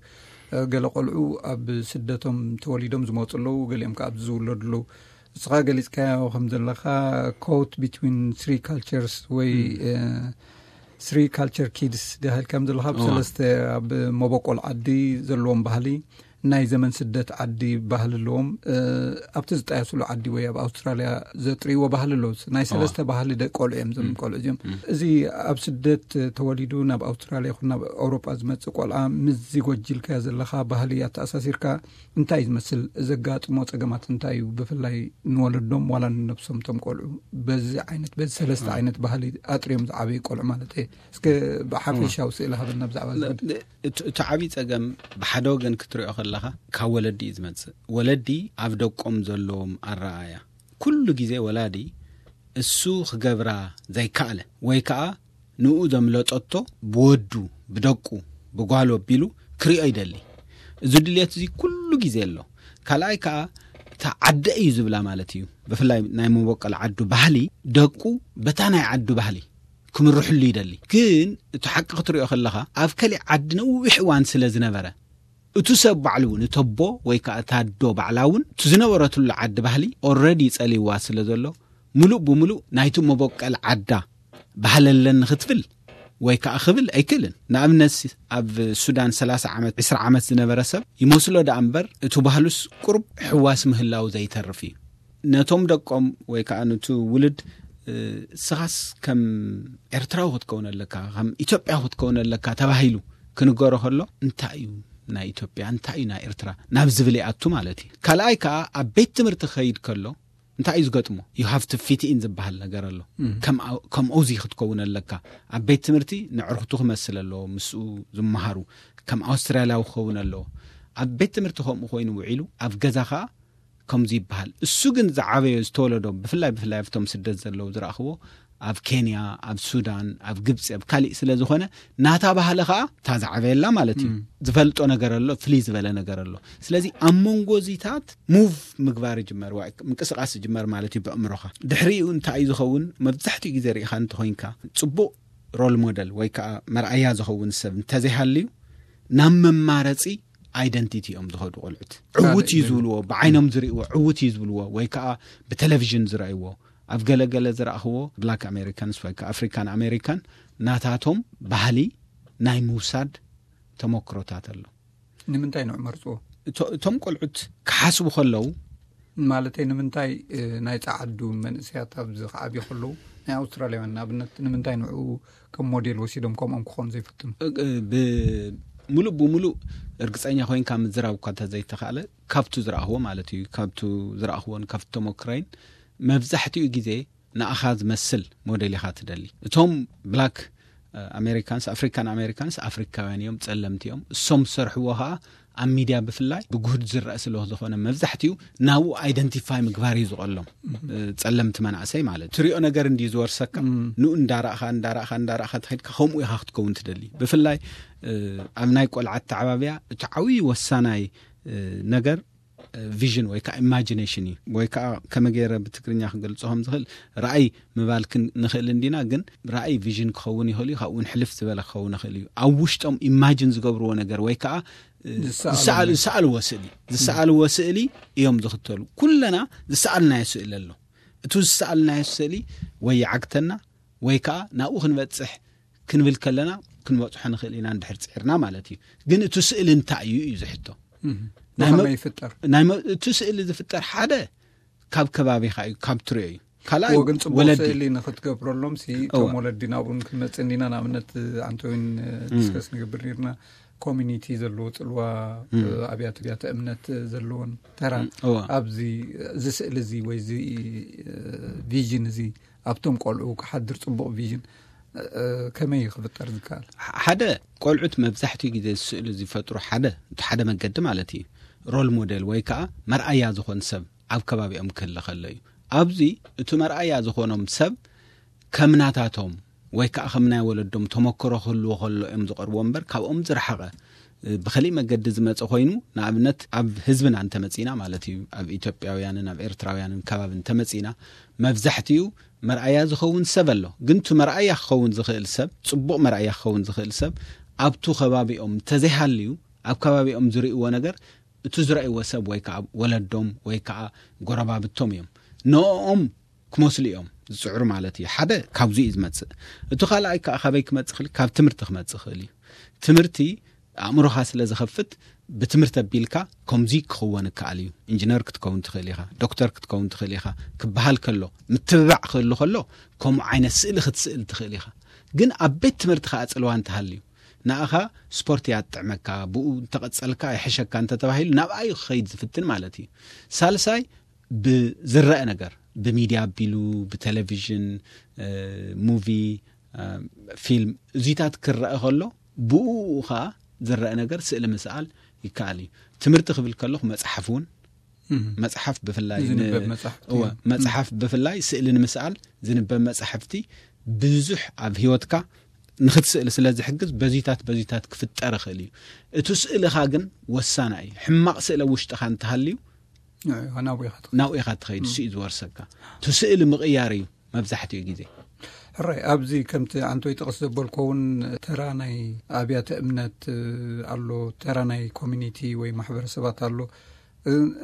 እ፣ ገለ ቆልዑ ኣብ ስደቶም ተወሊዶም ዝመጹ ኣለዉ፣ ገሊኦም ከኣ ኣብዚ ዝውለዱ ኣለዉ። ንስኻ ገሊጽካዮ ከም ዘለኻ፣ caught between three cultures ወይ፣ ም። እ፣ Three culture kids ዳህል ከም ዘለካ፣ ብሰለስተ ኣብ መበቆል ዓዲ ዘለዎም ባህሊ፣ ናይ ዘመን ስደት ዓዲ ባህሊ ኣለዎም። ኣብቲ ዝጣየስሉ ዓዲ ወይ ኣብ ኣውስትራልያ ዘጥርይዎ ባህሊ ኣሎ። ናይ ሰለስተ ባህሊ ደቂ ቆልዑ እዮም፣ ዘም ቆልዑ እዮም። እዚ ኣብ ስደት ተወሊዱ ናብ ኣውስትራልያ ይኹን ናብ ኣውሮጳ ዝመጽእ ቆልዓ፣ ምስዚ ጎጅልካዮ ዘለኻ ባህሊ ኣተኣሳሲርካ እንታይ እዩ ዝመስል? ዘጋጥሞ ጸገማት እንታይ እዩ? ብፍላይ ንወለዶም ዋላ ንነብሶም፣ ቶም ቆልዑ በዚ ዓይነት፣ በዚ ሰለስተ ዓይነት ባህሊ ኣጥርዮም ዝዓበዩ ቆልዑ ማለት እየ። እስከ ብሓፈሻዊ ስእሊ ሃበና ብዛዕባ እዚ ጉዳይ። እቲ ዓብዪ ጸገም ብሓደ ወገን ክትሪኦ ከለኻ ካብ ወለዲ እዩ ዝመጽእ። ወለዲ ኣብ ደቆም ዘለዎም ኣረኣእያ ኩሉ ግዜ ወላዲ እሱ ክገብራ ዘይከኣለ ወይ ከዓ ንኡ ዘምለጠቶ ብወዱ፣ ብደቁ፣ ብጓሉ ኣቢሉ ክሪኦ ይደሊ። እዚ ድልየት እዚ ኩሉ ግዜ ኣሎ። ካልኣይ ከዓ እታ ዓደ እዩ ዝብላ ማለት እዩ። ብፍላይ ናይ መበቆል ዓዱ ባህሊ ደቁ በታ ናይ ዓዱ ባህሊ ክምርሕሉ ይደሊ። ግን እቲ ሓቂ ክትሪኦ ከለኻ ኣብ ከሊእ ዓዲ ነዊሕ እዋን ስለ ዝነበረ እቲ ሰብ ባዕሉ እውን፣ እቲ ኣቦ ወይ ከዓ እታ ኣዶ ባዕላ እውን እቲ ዝነበረትሉ ዓዲ ባህሊ ኦረዲ ጸልይዋ ስለ ዘሎ፣ ምሉእ ብምሉእ ናይቲ መበቀል ዓዳ ባህሊ ኣለኒ ክትብል ወይ ከዓ ክብል ኣይክእልን። ንኣብነት ኣብ ሱዳን ሰላሳ ዓመት፣ ዕስራ ዓመት ዝነበረ ሰብ ይመስሎ ደኣ እምበር እቲ ባህሉስ ቁሩብ ሕዋስ ምህላው ዘይተርፍ እዩ። ነቶም ደቆም ወይ ከዓ ነቲ ውልድ ስኻስ ከም ኤርትራዊ ክትከውን ኣለካ፣ ከም ኢትዮጵያ ክትከውን ኣለካ ተባሂሉ ክንገሮ ከሎ እንታይ እዩ ናይ ኢትዮጵያ፣ እንታይ እዩ ናይ ኤርትራ ናብ ዝብል ይኣቱ ማለት እዩ። ካልኣይ ከዓ ኣብ ቤት ትምህርቲ ክኸይድ ከሎ እንታይ እዩ ዝገጥሞ? You have to fit in ዝበሃል ነገር ኣሎ። ከም ከምኡዚ ክትከውን ኣለካ። ኣብ ቤት ትምህርቲ ንዕርክቱ ክመስል ኣለዎ፣ ምስኡ ዝመሃሩ ከም ኣውስትራልያዊ ክኸውን ኣለዎ። ኣብ ቤት ትምህርቲ ከምኡ ኮይኑ ውዒሉ ኣብ ገዛ ከዓ ከምዚ ይበሃል። እሱ ግን ዝዓበዮ ዝተወለዶ ብፍላይ ብፍላይ ኣብቶም ስደት ዘለዉ ዝረእኽዎ ኣብ ኬንያ፣ ኣብ ሱዳን፣ ኣብ ግብፂ፣ ኣብ ካሊእ ስለ ዝኾነ ናታ ባህሊ ከዓ እታ ዝዓበየላ ማለት እዩ። ዝፈልጦ ነገር ኣሎ፣ ፍልይ ዝበለ ነገር ኣሎ። ስለዚ ኣብ መንጎ እዚታት ሙቭ ምግባር ይጅመር፣ ምንቅስቃስ ይጅመር ማለት እዩ ብእምሮኻ። ድሕሪኡ እንታይ እዩ ዝኸውን? መብዛሕትኡ ግዜ ርኢኻ እንተኾይንካ ፅቡቅ ሮል ሞደል ወይ ከዓ መርኣያ ዝኸውን ሰብ እንተዘይሃልዩ ናብ መማረፂ ኣይደንቲቲ እዮም ዝኸዱ ቆልዑት። ዕውት እዩ ዝብልዎ፣ ብዓይኖም ዝርእዎ ዕውት እዩ ዝብልዎ፣ ወይ ከዓ ብቴሌቪዥን ዝረእይዎ። ኣብ ገለገለ ዝረእኽዎ ብላክ ኣሜሪካንስ ወይ ከዓ ኣፍሪካን ኣሜሪካን ናታቶም ባህሊ ናይ ምውሳድ ተመክሮታት ኣሎ። ንምንታይ ንዑ መርፅዎ? እቶም ቆልዑት ክሓስቡ ከለዉ ማለተይ ንምንታይ ናይ ፃዓዱ መንእሰያት ኣብዚ ክዓብዩ ከለዉ ናይ ኣውስትራልያውያን ንኣብነት ንምንታይ ንዑ ከም ሞዴል ወሲዶም ከምኦም ክኾኑ ዘይፈትኑ? ብምሉእ ብምሉእ እርግፀኛ ኮይንካ ምዝራብ እኳ እንተዘይተኻእለ ካብቱ ዝረኣኽዎ ማለት እዩ። ካብቱ ዝረኣኽዎን ካብቲ ተመክረይን መብዛሕትኡ ግዜ ንኣኻ ዝመስል ሞዴል ኢኻ ትደሊ። እቶም ብላክ ኣሜሪካንስ፣ ኣፍሪካን ኣሜሪካንስ ኣፍሪካውያን እዮም፣ ጸለምቲ እዮም። እሶም ዝሰርሕዎ ከዓ ኣብ ሚድያ ብፍላይ ብጉህድ ዝረአ ስለ ዝኾነ መብዛሕትኡ ናብኡ ኣይደንቲፋይ ምግባር እዩ ዝቐሎም። ጸለምቲ መናእሰይ ማለት ትሪኦ ነገር እንዲ ዝወርሰካ ንኡ እንዳራእኻ እንዳራእኻ እንዳራእኻ ተኸድካ ከምኡ ኢኻ ክትከውን ትደሊ። ብፍላይ ኣብ ናይ ቆልዓ ኣተዓባብያ እቲ ዓብዪ ወሳናይ ነገር ቪዥን ወይ ከዓ ኢማጂኔሽን እዩ። ወይ ከዓ ከመ ገይረ ብትግርኛ ክገልጾ ከም ዝኽእል ራእይ ምባል ክን- ንኽእል እንዲና፣ ግን ራእይ ቪዥን ክኸውን ይኽእል እዩ፣ ካብኡ እውን ሕልፍ ዝበለ ክኸውን ይኽእል እዩ። ኣብ ውሽጦም ኢማጂን ዝገብርዎ ነገር ወይ ከዓ እ፣ ዝሰኣሉ ዝሰኣል- ነገር። ዝሰኣልዎ ስእሊ ዝሰኣልዎ ስእሊ እዮም ዝኽተሉ። ኩለና ዝሰኣልናዮ ስእሊ ኣሎ። እቱ ዝሰኣልናዮ ስእሊ ወይ ይዓግተና ወይ ከዓ ናብኡ ክንበፅሕ ክንብል ከለና ክንበፅሖ ንኽእል ኢና እንድሕር ፅዒርና ማለት እዩ። ግን እቱ ስእሊ እንታይ እዩ እዩ ዝሕቶ። ናይ መ- ብኸመይ ይፍጠር? ናይ መ- እቲ ስእሊ ዝፍጠር ሓደ ካብ ከባቢኻ እዩ፣ ካብ ትሪኦ እዩ። ካልኣይ እዎ፣ ግን ፅቡቅ ወለዲ ስእሊ ንክትገብረሎም ሲ እዎ። እቶም ወለዲ ናብኡ ክንመፅእ እንዲና። ንኣብነት ኣንቶዊን ዲስከስ ንገብር ነርና፣ ኮሚኒቲ ዘለዎ ፅልዋ፣ ኣብያተ ኣብያተ እምነት ዘለዎን ተራ እዎ። ኣብዚ እዚ ስእሊ እዚ ወይ እዚ ቪዥን እዚ ኣብቶም ቆልዑ ክሓድር ፅቡቅ ቪዥን ከመይ ክፍጠር ዝከኣል? ሓደ ቆልዑት መብዛሕትኡ ግዜ ስእሊ ዝፈጥሩ ሓደ እቲ ሓደ መገዲ ማለት እዩ፣ ሮል ሞዴል ወይ ከዓ መርኣያ ዝኾን ሰብ ኣብ ከባቢኦም ክህለ ከሎ እዩ። ኣብዚ እቲ መርኣያ ዝኾኖም ሰብ ከም ናታቶም ወይ ከዓ ከም ናይ ወለዶም ተመክሮ ክህልዎ ከሎ እዮም ዝቐርቦ እምበር ካብኦም ዝረሓቐ ብኸሊእ መገዲ ዝመፀ ኮይኑ፣ ንኣብነት ኣብ ህዝብና እንተመፂና ማለት እዩ፣ ኣብ ኢትዮጵያውያንን ኣብ ኤርትራውያንን ከባቢ እንተመፂና መብዛሕትኡ መርኣያ ዝኸውን ሰብ ኣሎ። ግን እቲ መርኣያ ክኸውን ዝኽእል ሰብ፣ ፅቡቕ መርኣያ ክኸውን ዝኽእል ሰብ ኣብቱ ከባቢኦም እንተዘይሃልዩ ኣብ ከባቢኦም ዝርእይዎ ነገር እቲ ዝረእይዎ ሰብ ወይ ከዓ ወለዶም ወይ ከዓ ጎረባብቶም እዮም። ንኦም ክመስሉ እዮም ዝፅዕሩ ማለት እዩ። ሓደ ካብዚ እዩ ዝመፅእ። እቲ ካልኣይ ከዓ ካበይ ክመፅእ ክእል? ካብ ትምህርቲ ክመፅእ ክእል እዩ። ትምህርቲ ኣእምሮኻ ስለ ዝኸፍት፣ ብትምህርቲ ኣቢልካ ከምዚ ክኽወን ይከኣል እዩ። ኢንጂነር ክትከውን ትኽእል ኢኻ፣ ዶክተር ክትከውን ትኽእል ኢኻ ክበሃል ከሎ፣ ምትብባዕ ክህሉ ከሎ፣ ከምኡ ዓይነት ስእሊ ክትስእል ትኽእል ኢኻ። ግን ኣብ ቤት ትምህርቲ ከዓ ፅልዋ እንተሃልዩ፣ ንኣኻ ስፖርት እያ ትጥዕመካ፣ ብኡ እንተቐጸልካ ይሕሸካ እንተተባሂሉ፣ ናብኣ እዩ ክኸይድ ዝፍትን ማለት እዩ። ሳልሳይ፣ ብዝረአ ነገር፣ ብሚድያ ኣቢሉ፣ ብቴሌቪዥን፣ ሙቪ፣ ፊልም፣ እዚታት ክረአ ከሎ፣ ብኡ ከዓ ዝረአ ነገር ስእሊ ምስኣል ይከኣል እዩ። ትምህርቲ ክብል ከለኹ፣ መፅሓፍ እውን፣ መፅሓፍ ብፍላይ ን- ዝንበብ መፅሓፍቲ እወ፣ መፅሓፍ ብፍላይ ስእሊ ንምስኣል ዝንበብ መፅሓፍቲ ብዙሕ ኣብ ህይወትካ ንክትስእል ስለ ዝሕግዝ፣ በዚታት በዚታት ክፍጠር ይኽእል እዩ። እቲ ስእልኻ ግን ወሳና እዩ። ሕማቕ ስእሊ ኣብ ውሽጥኻ እንተሃልዩ፣ ናብኡ ኢኻ ትኸይድ። ናብኡ ኢኻ ትኸይድ፣ እሱ እዩ ዝወርሰካ። እቲ ስእሊ ምቕያር እዩ መብዛሕትኡ ግዜ። ሕራይ፣ ኣብዚ ከምቲ ኣንቶይ ጥቕስ ዘበልኮ እውን፣ ተራ ናይ ኣብያተ እምነት ኣሎ፣ ተራ ናይ ኮሚኒቲ ወይ ማሕበረሰባት ኣሎ።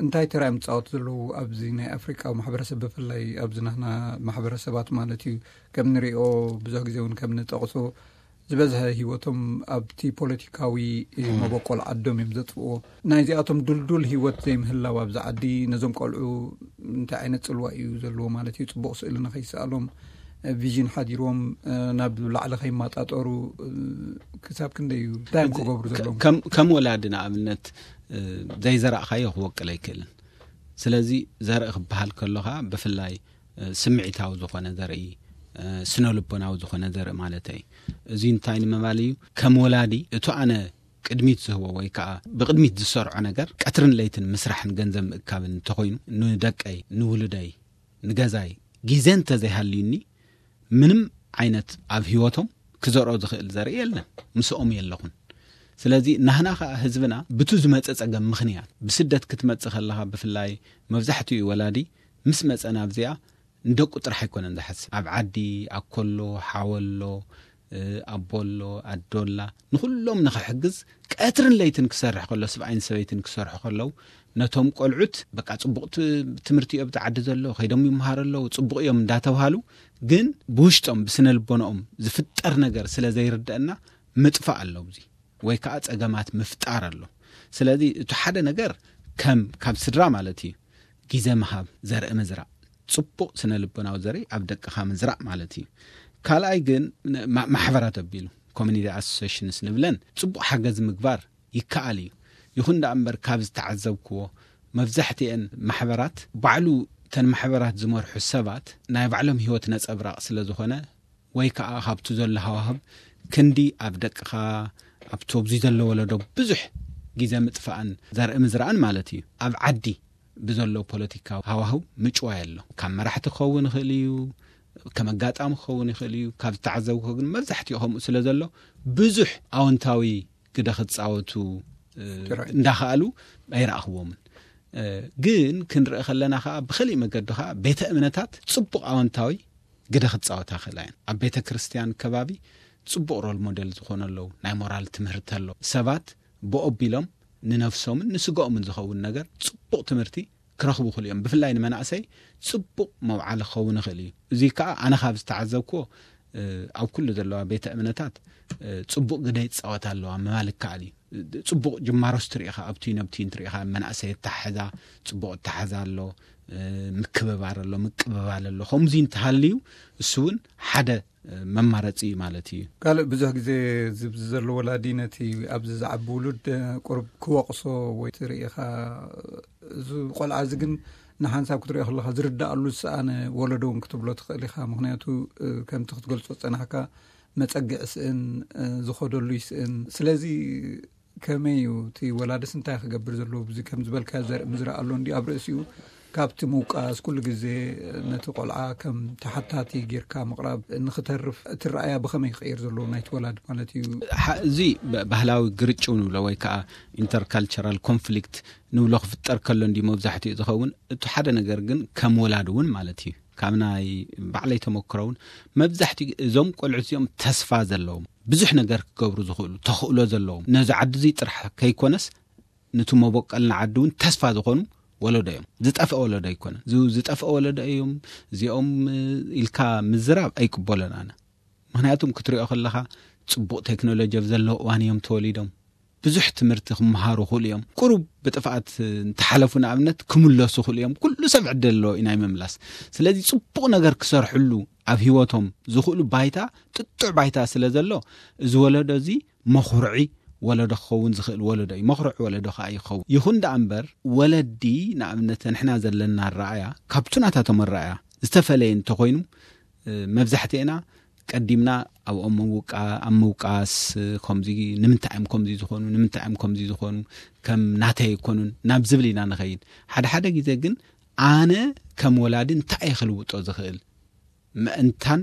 እንታይ ተራ እዮም ዝፃወቱ ዘለዉ ኣብዚ ናይ ኣፍሪቃዊ ማሕበረሰብ፣ ብፍላይ ኣብዚ ናህና ማሕበረሰባት ማለት እዩ? ከም ንሪኦ፣ ብዙሕ ግዜ እውን ከም ንጠቕሶ፣ ዝበዝሐ ህይወቶም ኣብቲ ፖለቲካዊ መበቆል ዓዶም እዮም ዘጥፍዎ። ናይዚኣቶም ድልዱል ህይወት ዘይምህላው ኣብዚ ዓዲ፣ ነዞም ቆልዑ እንታይ ዓይነት ፅልዋ እዩ ዘለዎ ማለት እዩ? ፅቡቕ ስእሊ ንኸይሰኣሎም፣ ቪዥን ሓዲሮም ናብ ላዕሊ ከይማጣጠሩ፣ ክሳብ ክንደይ እዩ? እንታይ እዮም ክገብሩ ዘለዎም? ከም ከም ወላዲ ንኣብነት፣ ዘይዘራእኻዮ ክወቅል ኣይክእልን። ስለዚ፣ ዘርኢ ክበሃል ከሎ ከዓ ብፍላይ ስምዒታዊ ዝኾነ ዘርኢ፣ ስነ ልቦናዊ ዝኾነ ዘርኢ ማለት እዩ። እዚ እንታይ ንምባል እዩ? ከም ወላዲ፣ እቱ ኣነ ቅድሚት ዝህቦ ወይ ከዓ ብቅድሚት ዝሰርዖ ነገር፣ ቀትርን ለይትን ምስራሕን ገንዘብ ምእካብን እንተኾይኑ፣ ንደቀይ፣ ንውሉደይ፣ ንገዛይ ግዜ እንተዘይሃልዩኒ፣ ምንም ዓይነት ኣብ ህይወቶም ክዘርኦ ዝኽእል ዘርኢ የለን፣ ምስኦም የለኹን። ስለዚ፣ ናህና ከዓ ህዝብና ብቱ ዝመፀ ፀገም ምኽንያት፣ ብስደት ክትመፅእ ከለኻ፣ ብፍላይ መብዛሕትኡ ወላዲ ምስ መፀ ናብዚኣ፣ ንደቁ ጥራሕ ኣይኮነን ዝሓስብ። ኣብ ዓዲ፣ ኣኮሎ፣ ሓወሎ፣ ኣቦሎ፣ ኣዶላ፣ ንኹሎም ንኽሕግዝ ቀትርን ለይትን ክሰርሕ ከሎ፣ ስብኣይን ሰበይትን ክሰርሑ ከለዉ፣ ነቶም ቆልዑት፣ በቃ፣ ጽቡቕ ት-፣ ትምህርቲ እዩ ኣብቲ ዓዲ ዘሎ፣ ከይዶም ይምሃሩ ኣለዉ፣ ጽቡቕ እዮም እንዳተብሃሉ፣ ግን ብውሽጦም፣ ብስነ ልቦናኦም ዝፍጠር ነገር ስለ ዘይርደአና፣ ምጥፋእ ኣሎ ኣብዚ፣ ወይ ከዓ ጸገማት ምፍጣር ኣሎ። ስለዚ፣ እቲ ሓደ ነገር ከም፣ ካብ ስድራ ማለት እዩ፣ ግዜ ምሃብ፣ ዘርኢ ምዝራእ፣ ጽቡቕ ስነ ልቦናዊ ዘርኢ ኣብ ደቅኻ ምዝራእ ማለት እዩ። ካልኣይ ግን፣ ማ-፣ ማሕበራት ኣቢሉ፣ ኮሚኒቲ ኣሶሲሽንስ ንብለን፣ ጽቡቕ ሓገዝ ምግባር ይከኣል እዩ። ይኹን ደኣ እምበር፣ ካብ ዝተዓዘብክዎ፣ መብዛሕትኤን ማሕበራት፣ ባዕሉ እተን ማሕበራት ዝመርሑ ሰባት ናይ ባዕሎም ህይወት ነጸብራቕ ስለ ዝኾነ፣ ወይ ከዓ ካብቲ ዘሎ ሃዋህብ ክንዲ ኣብ ደቅኻ፣ ኣብቲ ኣብዚ ዘሎ ወለዶ ብዙሕ ግዜ ምጥፋእን ዘርኢ ምዝራእን ማለት እዩ። ኣብ ዓዲ ብዘሎ ፖለቲካዊ ሃዋህው ምጭዋይ ኣሎ። ካብ መራሕቲ ክኸውን ይኽእል እዩ፣ ከም ኣጋጣሚ ክኸውን ይኽእል እዩ። ካብ ዝተዓዘብኩ ግን መብዛሕትኡ ከምኡ ስለ ዘሎ ብዙሕ ኣወንታዊ ግደ ክጻወቱ፣ እ፣ ጥራይ። እንዳኸኣሉ ኣይረኣኽዎምን። እ፣ ግን ክንርኢ ከለና ከኣ ብኸሊእ መገዲ ከኣ ቤተ እምነታት ጽቡቕ ኣወንታዊ ግደ ክጻወታ ክእላ እየን። ኣብ ቤተ ክርስቲያን ከባቢ ጽቡቕ ሮል ሞዴል ዝኾኑ ኣለዉ። ናይ ሞራል ትምህርቲ ኣሎ። ሰባት ብኦ ኣቢሎም ንነፍሶምን ንስጋኦምን ዝኸውን ነገር ጽቡቕ ትምህርቲ ክረኽቡ ይኽእሉ እዮም። ብፍላይ ንመናእሰይ ጽቡቕ መውዓሊ ክኸውን ይኽእል እዩ። እዚ ከኣ ኣነ ካብ ዝተዓዘብክዎ፣ እ፣ ኣብ ኩሉ ዘለዋ ቤተ እምነታት፣ እ፣ ጽቡቕ ግደ ይጻወታ ኣለዋ ምባል ይከኣል እዩ። ጽቡቕ ጅማሮስ ትርኢ ኢኻ፣ ኣብቲ ነብቲ እንትርኢ ኢኻ፣ መናእሰይ ኣተሓሕዛ፣ ጽቡቕ ኣተሓሕዛ ኣሎ፣ እ፣ ምክብባር ኣሎ፣ ምቅብባል ኣሎ። ከምዚ እንተሃልዩ፣ እሱ እውን ሓደ፣ እ፣ መማረጺ እዩ ማለት እዩ። ካልእ ብዙሕ ግዜ ዝብዚ ዘሎ ወላዲ ነቲ ኣብዚ ዝዓቢ ውሉድ፣ እ፣ ቁሩብ ክወቕሶ ወይ ትርኢ ኢኻ። እዚ ቆልዓ እዚ ግን ንሓንሳብ ክትሪኦ ከለኻ ዝርዳኣሉ ዝሰኣነ ወለዶ እውን ክትብሎ ትኽእል ኢኻ። ምኽንያቱ፣ እ፣ ከምቲ ክትገልጾ ዝጸናሕካ መጸግዒ ስእን፣ እ፣ ዝኸደሉ ይስእን። ስለዚ ከመይ እዩ እቲ ወላድስ እንታይ ክገብር ዘለዎ? እዚ ከም ዝበልካዮ ዘርኢ ምዝራእ ኣሎ እንዲ ኣብ ርእሲኡ ካብቲ ምውቃስ ኩሉ ግዜ ነቲ ቆልዓ ከም ተሓታቲ ጌርካ ምቕራብ ንኽተርፍ እቲ ረኣያ ብኸመይ ክቕየር ዘለዎ ናይቲ ወላድ ማለት እዩ? ሓ-፣ እዚ ብ-፣ ባህላዊ ግርጭው ንብሎ ወይ ከዓ ኢንተርካልቸራል ኮንፍሊክት ንብሎ ክፍጠር ከሎ እንዲ መብዛሕትኡ ዝኸውን። እቲ ሓደ ነገር ግን ከም ወላድ እውን ማለት እዩ፣ ካብ ናይ ባዕለይ ተመክሮ እውን መብዛሕትኡ እዞም ቆልዑት እዚኦም ተስፋ ዘለዎም ብዙሕ ነገር ክገብሩ ዝኽእሉ ተኽእሎ ዘለዎም ነዚ ዓዲ እዚ ጥራሕ ከይኮነስ ነቲ መበቆልና ዓዲ እውን ተስፋ ዝኾኑ ወለዶ እዮም። ዝጠፍአ ወለዶ ኣይኮነን። ዝ- ዝጠፍአ ወለዶ እዮም እዚኦም፣ እ፣ ኢልካ ምዝራብ ኣይቅበሎን ኣነ። ምክንያቱም ክትሪኦ ከለኻ ጽቡቕ ቴክኖሎጂ ኣብ ዘለዎ እዋን እዮም ተወሊዶም። ብዙሕ ትምህርቲ ክመሃሩ ክእሉ እዮም። ቁሩብ ብጥፍኣት እንተሓለፉ ንኣብነት ክምለሱ ክእሉ እዮም። ኩሉ ሰብ ዕድል ኣለዎ ናይ ምምላስ። ስለዚ ጽቡቕ ነገር ክሰርሕሉ ኣብ ህይወቶም ዝኽእሉ ባይታ፣ ጥጡዕ ባይታ ስለ ዘሎ፣ እዚ ወለዶ እዚ መኹርዒ ወለዶ ክኸውን ዝኽእል ወለዶ እዩ። መኹርዒ ወለዶ ከኣ ይኸውን። ይኹን ደኣ እምበር፣ ወለዲ ንኣብነት ንሕና ዘለና ኣረኣያ ካብቱ ናታቶም ኣረኣያ ዝተፈለየ እንተኾይኑ፣ እ፣ መብዛሕትኤና ቀዲምና ኣብኦም ምውቃ-፣ ኣብ ምውቃስ፣ እ፣ ከምዚ፣ ንምንታይ እዮም ከምዚ ዝኾኑ፣ ንምንታይ እዮም ከምዚ ዝኾኑ፣ ከም ናተይ ኣይኮኑን ናብ ዝብል ኢና ንኸይድ። ሓደ ሓደ ግዜ ግን ኣነ ከም ወላዲ እንታይ እየ ክልውጦ ዝኽእል? ምእንታን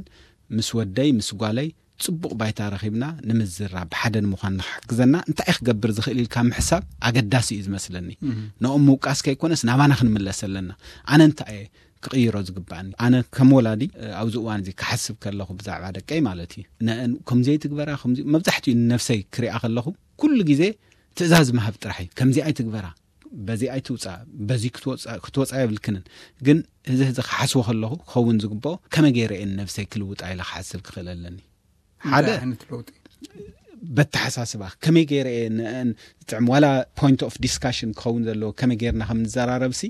ምስ ወደይ ምስ ጓለይ ጽቡቕ ባይታ ረኺብና ንምዝራብ፣ ብሓደ ንምዃን ንክሕግዘና እንታይ እየ ክገብር ዝኽእል ኢልካ ምሕሳብ ኣገዳሲ እዩ ዝመስለኒ። ነኦም ምውቃስ ከይኮነስ ናባና ክንምለስ ኣለና። ኣነ እንታይ እየ ክቕይሮ ዝግባኣኒ? ኣነ ከም ወላዲ፣ እ፣ ኣብዚ እዋን እዚ ክሓስብ ከለኹ ብዛዕባ ደቀይ ማለት እዩ። ነአን ከምዚ ኣይትግበራ፣ ከምዚ፣ መብዛሕትኡ ንነፍሰይ ክሪኣ ከለኹ ኩሉ ግዜ ትእዛዝ ምሃብ ጥራሕ እዩ። ከምዚ ኣይትግበራ፣ በዚ ኣይትውጻ፣ በዚ ክትወጻ፣ ክትወጻ የብልክንን። ግን እዚ፣ እዚ ክሓስቦ ከለኹ ክኸውን ዝግብኦ ከመይ ገይረ እየ ንነፍሰይ ክልውጣ ኢለ ክሓስብ ክኽእል ኣለኒ። ሓደ እንታይ ዓይነት ለውጢ? በተሓሳስባ ከመይ ገይረ እየ ንአን ዝጥዕም፣ ዋላ point of discussion ክኸውን ዘለዎ ከመይ ገይርና ከም ንዘራረብሲ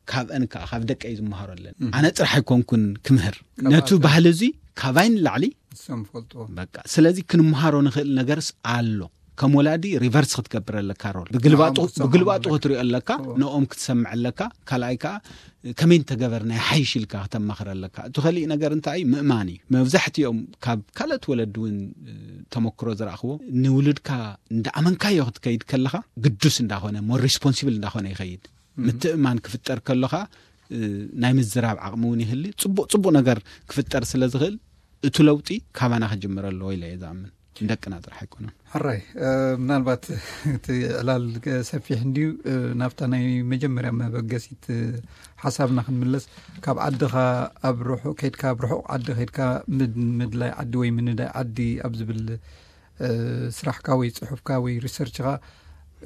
ካብአን ከዓ ካብ ደቀይ ዝመሃሮ ኣለኒ። ኣነ ጥራሕ ኣይኮንኩን ክምህር። ነቱ ባህሊ እዚ ካባይ ንላዕሊ ንሶም ፈልጥዎ። በቃ፣ ስለዚ ክንመሃሮ ንኽእል ነገርስ ኣሎ። ከም ወላዲ ሪቨርስ ክትገብር ኣለካ ሮል። ብግልባጡ፣ ንዓም ክትሰምዖም ብግልባጡ ኣለካ። ክትሪኦ ኣለካ፣ እዎ። ንኦም ክትሰምዕ ኣለካ። ካልኣይ ከዓ ከመይ እንተገበርና ይሓይሽ ኢልካ ክተማኽር ኣለካ። እቲ ከሊእ ነገር እንታይ እዩ? ምእማን እዩ። መብዛሕትኦም ካብ ካልኦት ወለዲ እውን፣ እ፣ ተመክሮ ዝረኣኽዎ፣ ንውሉድካ እንዳኣመንካዮ ክትከይድ ከለኻ ግዱስ እንዳኾነ፣ ሞር ሪስፖንሲብል እንዳኾነ ይኸይድ። ምትእማን ክፍጠር ከሎኻ፣ እ፣ ናይ ምዝራብ ዓቕሚ እውን ይህሊ። ጽቡቕ፣ ጽቡቕ ነገር ክፍጠር ስለ ዝኽእል፣ እቲ ለውጢ ካባና ክጅምር ኣለዎ ኢለ እየ ዝኣምን። ንደቅና ጥራሕ ኣይኮነን። ሕራይ፣ እ፣ ምናልባት እቲ ዕላል ሰፊሕ እንድዩ። እ፣ ናብታ ናይ መጀመርያ መበገሲት፣ እ፣ ሓሳብና ክንምለስ፣ ካብ ዓድኻ ኣብ ርሑቕ ከይድካ፣ ኣብ ርሑቕ ዓዲ ከይድካ ምድ-፣ ምድላይ ዓዲ ወይ ምንዳይ ዓዲ ኣብ ዝብል፣ እ፣ ስራሕካ ወይ ጽሑፍካ ወይ ሪሰርችኻ፣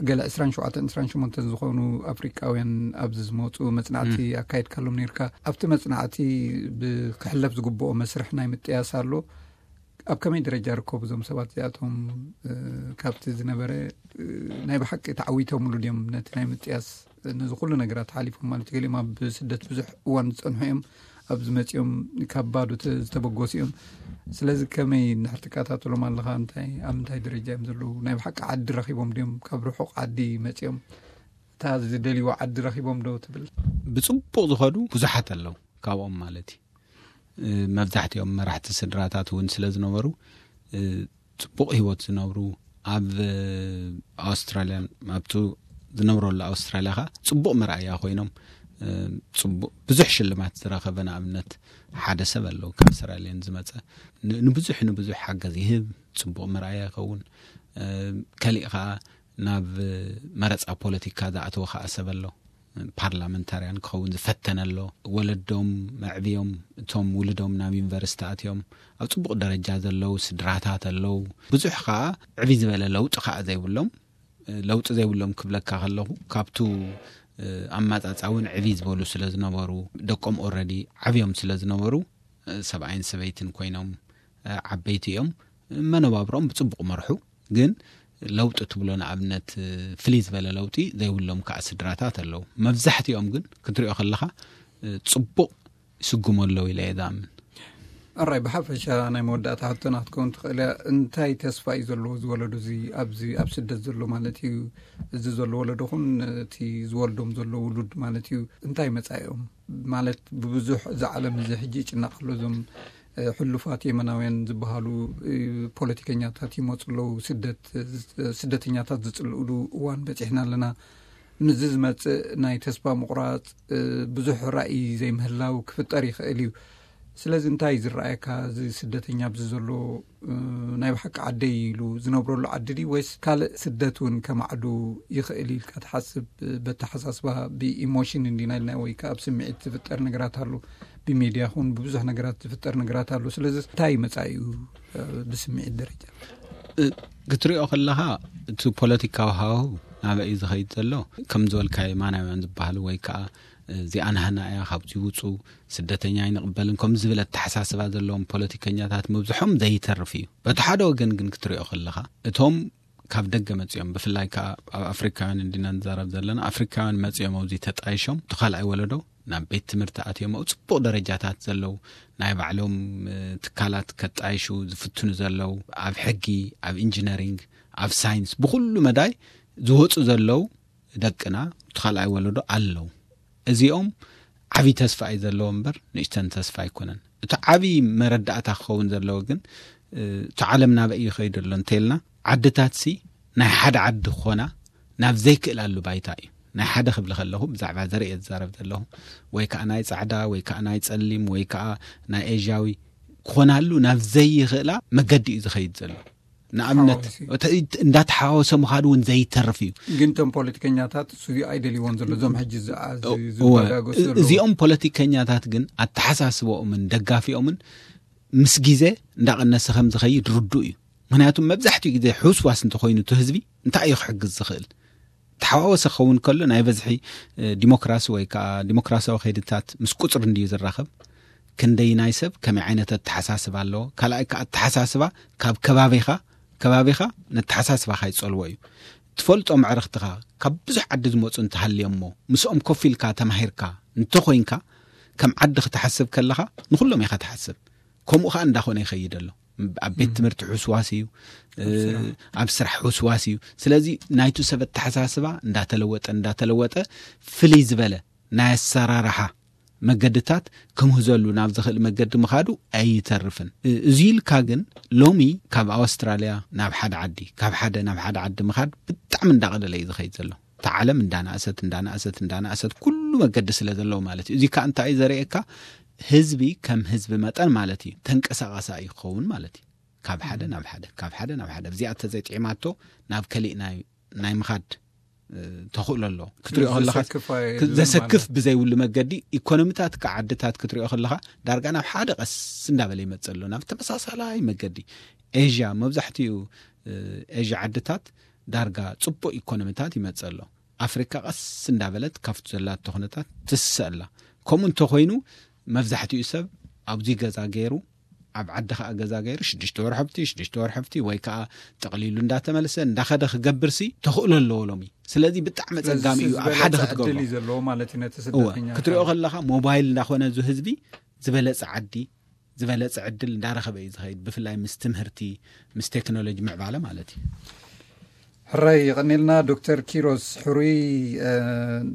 ገለ ዕስራን ሸውዓተን ዕስራን ሸሞንተን ዝኾኑ ኣፍሪቃውያን ኣብዚ ዝመጹ መጽናዕቲ ኣካይድካሎም ነይርካ። ኣብቲ መጽናዕቲ ብ-፣ ክሕለፍ ዝግብኦ መስርሕ ናይ ምጥያስ ኣሎ። ኣብ ከመይ ደረጃ ይርከቡ እዞም ሰባት እዚኣቶም? እ፣ ካብቲ ዝነበረ፣ እ፣ ናይ ብሓቂ ተዓዊቶምሉ ድዮም ነቲ ናይ ምጥያስ? ነዚ ኩሉ ነገራት ሓሊፎም ማለት እዩ። ገሊኦም ኣብ ስደት ብዙሕ እዋን ዝጸንሑ እዮም። ኣብዚ መጺኦም ካብ ባዶ ተ-፣ ዝተበገሱ እዮም። ስለዚ ከመይ እንድሕር ትከታተሎም ኣለኻ? እንታይ፣ ኣብ ምንታይ ደረጃ እዮም ዘለዉ? ናይ ብሓቂ ዓዲ ረኺቦም ድዮም? ካብ ርሑቕ ዓዲ መጺኦም እታ ዝደልይዋ ዓዲ ረኺቦም ዶ ትብል? ብጽቡቕ ዝኸዱ ብዙሓት ኣለዉ ካብኦም ማለት እዩ። እ፣ መብዛሕትኦም መራሕቲ ስድራታት እውን ስለ ዝነበሩ፣ እ፣ ጽቡቕ ህይወት ዝነብሩ፣ ኣብ፣ እ፣ ኣውስትራልያን ኣብቱ ዝነብረሉ ኣውስትራልያ ኸኣ ጽቡቕ መርኣያ ኮይኖም፣ እ፣ ጽቡቕ ብዙሕ ሽልማት ዝረኸበ ንኣብነት ሓደ ሰብ ኣለዉ ካብ ሰራልየን ዝመጸ። ን-፣ ንብዙሕ፣ ንብዙሕ ሓገዝ ይህብ፣ ጽቡቕ መርኣያ ይኸውን። እ፣ ከሊእ ኸኣ ናብ መረጻ ፖለቲካ ዝኣተወ ኸኣ ሰብ ኣሎ። ፓርላመንታርያን ክኸውን ዝፈተነ ኣሎ። ወለዶም መዕብዮም፣ እቶም ውልዶም ናብ ዩኒቨርሲቲ ኣትዮም ኣብ ጽቡቕ ደረጃ ዘለዉ ስድራታት ኣለዉ። ብዙሕ ኸኣ ዕብይ ዝበለ ለውጢ ኸኣ ዘይብሎም፣ ለውጢ ዘይብሎም ክብለካ ከለኹ፣ ካብቱ፣ እ፣ ኣመጻጽኣ እውን ዕብይ ዝበሉ ስለ ዝነበሩ፣ ደቆም ኦረዲ ዓብዮም ስለ ዝነበሩ፣ እ፣ ሰብኣይን ሰበይትን ኮይኖም፣ እ፣ ዓበይቲ እዮም። መነባብሮም ብጽቡቕ መርሑ። ግን ለውጢ ትብሎ ንኣብነት፣ እ፣ ፍልይ ዝበለ ለውጢ ዘይብሎም ከኣ ስድራታት ኣለዉ። መብዛሕትኦም ግን ክትሪኦ ከለኻ፣ እ፣ ጽቡቕ ይስጉሙ ኣለዉ ኢለ እየ ዝኣምን። ኣራይ፣ ብሓፈሻ ናይ መወዳእታ ሕቶና ክትከውን ትኽእል እያ። እንታይ ተስፋ እዩ ዘለዎ እዚ ወለዶ እዚ ኣብዚ ኣብ ስደት ዘሎ ማለት እዩ? እዚ ዘሎ ወለዶ ኹን እቲ ዝወልዶም ዘሎ ውሉድ ማለት እዩ፣ እንታይ መጻኢኦም? ማለት ብብዙሕ እዚ ዓለም እዚ ሕጂ ይጭነቕ ኣሎ። እዞም፣ እ፣ ሕሉፋት የመናውያን ዝበሃሉ፣ እ፣ ፖለቲከኛታት ይመጹ ኣለዉ። ስደት፣ እ፣ ስደተኛታት ዝጽልኡሉ እዋን በጺሕና ኣለና። ምስዚ ዝመጽእ ናይ ተስፋ ምቑራጽ፣ እ፣ ብዙሕ ራእይ ዘይምህላው ክፍጠር ይኽእል እዩ። ስለዚ እንታይ እዩ ዝረኣየካ? እዚ ስደተኛ ኣብዚ ዘሎ፣ እ፣ ናይ ብሓቂ ዓደይ ኢሉ ዝነብረሉ ዓዲ ድዩ ወይስ ካልእ ስደት እውን ከማዕዱ ይኽእል ኢልካ ትሓስብ? በተሓሳስባ ብኢሞሽን እንዲና ኢልና ወይ ከኣ ኣብ ስምዒት ዝፍጠር ነገራት ኣሎ። ብሜድያ ኹን ብብዙሕ ነገራት ዝፍጠር ነገራት ኣሎ። ስለዚ እንታይ እዩ መጻኢኡ፣ እ፣ ብስምዒት ደረጃ? እ፣ ክትሪኦ ከለኻ እቲ ፖለቲካዊ ሃዋሁ ናበይ እዩ ዝኸይድ ዘሎ? ከም ዝበልካዮ የማናውያን ዝበሃሉ ወይ ከዓ እዚኣ ናህና እያ፣ ካብዚ ውፁ፣ ስደተኛ ኣይንቕበልን ከም ዝብል ኣተሓሳስባ ዘለዎም ፖለቲከኛታት ምብዝሖም ዘይተርፍ እዩ። በቲ ሓደ ወገን ግን ክትሪኦ ከለኻ እቶም ካብ ደገ መፂኦም፣ ብፍላይ ከዓ ኣብ ኣፍሪካውያን እንዲና ንዛረብ ዘለና፣ ኣፍሪካውያን መፂኦም ኣብዚ ተጣይሾም እቲ ካልኣይ ወለዶ ናብ ቤት ትምህርቲ ኣትዮም ኣብ ፅቡቕ ደረጃታት ዘለዉ፣ ናይ ባዕሎም ትካላት ከጣይሹ ዝፍትኑ ዘለዉ፣ ኣብ ሕጊ፣ ኣብ ኢንጂነሪንግ፣ ኣብ ሳይንስ፣ ብኩሉ መዳይ ዝወፁ ዘለዉ ደቅና እቲ ካልኣይ ወለዶ ኣለዉ። እዚኦም ዓብዪ ተስፋ እዩ ዘለዎ እምበር ንእሽተን ተስፋ ኣይኮነን። እቲ ዓብዪ መረዳእታ ክኸውን ዘለዎ ግን እቲ ዓለም ናበይ ይኸይዱ ኣሎ እንተልና፣ ዓድታት ሲ ናይ ሓደ ዓዲ ክኾና ናብ ዘይክእላሉ ባይታ እዩ። ናይ ሓደ ክብል ከለኹ ብዛዕባ ዘርእየ ዝዛረብ ዘለኹ፣ ወይ ከዓ ናይ ፃዕዳ ወይ ከዓ ናይ ፀሊም ወይ ከዓ ናይ ኤዥያዊ ክኾናሉ ናብ ዘይኽእላ መገዲ እዩ ዝኸይድ ዘሎ። ንኣብነት እንዳተሓዋወሰ ምኻድ እውን ዘይተርፍ እዩ። ግን እቶም ፖለቲከኛታት እሱ ኣይደልይዎን ዘሎ፣ እዞም ሕጂ ዝባጋገሱ እዚኦም ፖለቲከኛታት ግን ኣተሓሳስበኦምን ደጋፊኦምን ምስ ግዜ እንዳቐነሰ ከም ዝኸይድ ርዱእ እዩ። ምክንያቱም መብዛሕትኡ ግዜ ሕውስዋስ እንተኮይኑ እቲ ህዝቢ እንታይ እዩ ክሕግዝ ዝኽእል? ተሓዋወሰ ክኸውን ከሎ ናይ በዝሒ ዲሞክራሲ ወይ ከዓ ዲሞክራሲያዊ ከይድታት ምስ ቁፅሪ እንድዩ ዝራኸብ። ክንደይ ናይ ሰብ ከመይ ዓይነት ኣተሓሳስባ ኣለዎ? ካልኣይ ከዓ ኣተሓሳስባ ካብ ከባቢኻ ከባቢኻ ነተሓሳስባኻ ይፀልዎ እዩ። ትፈልጦ መዕርኽትኻ ካብ ብዙሕ ዓዲ ዝመፁ እንተሃልዮሞ ምስኦም ኮፍ ኢልካ ተማሂርካ እንተኮይንካ፣ ከም ዓዲ ክትሓስብ ከለኻ ንኩሎም ኢኻ ትሓስብ። ከምኡ ከዓ እንዳኾነ ይኸይድ ኣሎ። ኣብ ቤት ትምህርቲ ሕስዋስ እዩ። ኣብ ስራሕ ሕስዋስ እዩ። ስለዚ ናይቱ ሰብ ኣተሓሳስባ እንዳተለወጠ እንዳተለወጠ ፍልይ ዝበለ ናይ ኣሰራርሓ መገድታት ክምህዘሉ ናብ ዝኽእል መገዲ ምኻዱ ኣይተርፍን። እዚ ኢልካ ግን ሎሚ ካብ ኣውስትራልያ ናብ ሓደ ዓዲ፣ ካብ ሓደ ናብ ሓደ ዓዲ ምኻድ ብጣዕሚ እንዳቐለለ እዩ ዝኸይድ ዘሎ። እታ ዓለም እንዳናእሰት እንዳናእሰት እንዳናእሰት ኩሉ መገዲ ስለ ዘለዎ ማለት እዩ። እዚ ከዓ እንታይ እዩ ዘርእየካ? ህዝቢ ከም ህዝቢ መጠን ማለት እዩ ተንቀሳቐሳ እዩ ክኸውን ማለት እዩ። ካብ ሓደ ናብ ሓደ ካብ ሓደ ናብ ሓደ እዚኣ ተዘይጥዒማቶ ናብ ከሊእ ናይ ናይ ምኻድ ተኽእሎ ኣሎ። ክትሪኦ ከለኻ ዘሰክፍ ብዘይብሉ መገዲ ኢኮኖሚታት ከዓ ዓድታት ክትሪኦ ከለኻ ዳርጋ ናብ ሓደ ቀስ እንዳበለ ይመፅእ ኣሎ፣ ናብ ተመሳሳላይ መገዲ። ኤዥያ፣ መብዛሕትኡ ኤዥያ ዓድታት ዳርጋ ፅቡቅ ኢኮኖሚታት ይመፅእ ኣሎ። ኣፍሪካ ቀስ እንዳበለት ካብቲ ዘላቶ ኩነታት ትስእ ኣላ። ከምኡ እንተኮይኑ መብዛሕትኡ ሰብ ኣብዚ ገዛ ገይሩ ኣብ ዓዲ ከዓ ገዛ ገይሩ ሽዱሽተ ወርሕብቲ ሽዱሽተ ወርሕብቲ ወይ ከዓ ጠቕሊሉ እንዳተመልሰ እንዳኸደ ክገብርሲ ተኽእሎ ኣለዎ ሎሚ። ስለዚ ብጣዕሚ ኣፀጋሚ እዩ ኣብ ሓደ ክትገብሮ። ክትሪኦ ከለኻ ሞባይል እንዳኾነ እዚ ህዝቢ ዝበለፀ ዓዲ ዝበለፀ ዕድል እንዳረኸበ እዩ ዝኸይድ፣ ብፍላይ ምስ ትምህርቲ ምስ ቴክኖሎጂ ምዕባለ ማለት እዩ። ሕራይ የቐኔልና ዶክተር ኪሮስ ሕሩይ፣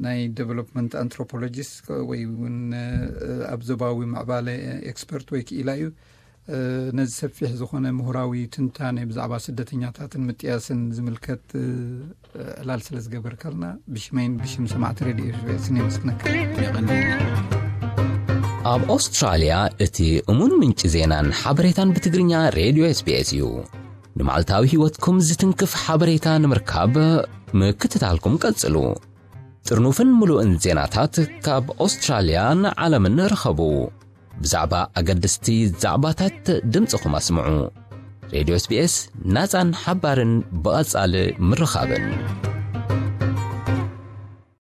ናይ ዴቨሎፕመንት ኣንትሮፖሎጂስት ወይ እውን ኣብ ዞባዊ ምዕባለ ኤክስፐርት ወይ ክኢላ እዩ። ነዚ ሰፊሕ ዝኾነ ምሁራዊ ትንታኔ ብዛዕባ ስደተኛታትን ምጥያስን ዝምልከት ዕላል ስለ ዝገበርካልና ብሽመይን ብሽም ሰማዕቲ ሬድዮ ኤስቢኤስን የመስግነካ። ኣብ ኣውስትራልያ እቲ እሙን ምንጪ ዜናን ሓበሬታን ብትግርኛ ሬድዮ ኤስቢኤስ እዩ። ንመዓልታዊ ህይወትኩም ዝትንክፍ ሓበሬታ ንምርካብ ምክትታልኩም ቀጽሉ። ጥርኑፍን ምሉእን ዜናታት ካብ ኣውስትራልያን ዓለምን ርኸቡ። ብዛዕባ ኣገደስቲ ዛዕባታት ድምፅኹም ኣስምዑ። ሬድዮ ኤስቢኤስ ናፃን ሓባርን ብቐጻሊ ምርኻብን።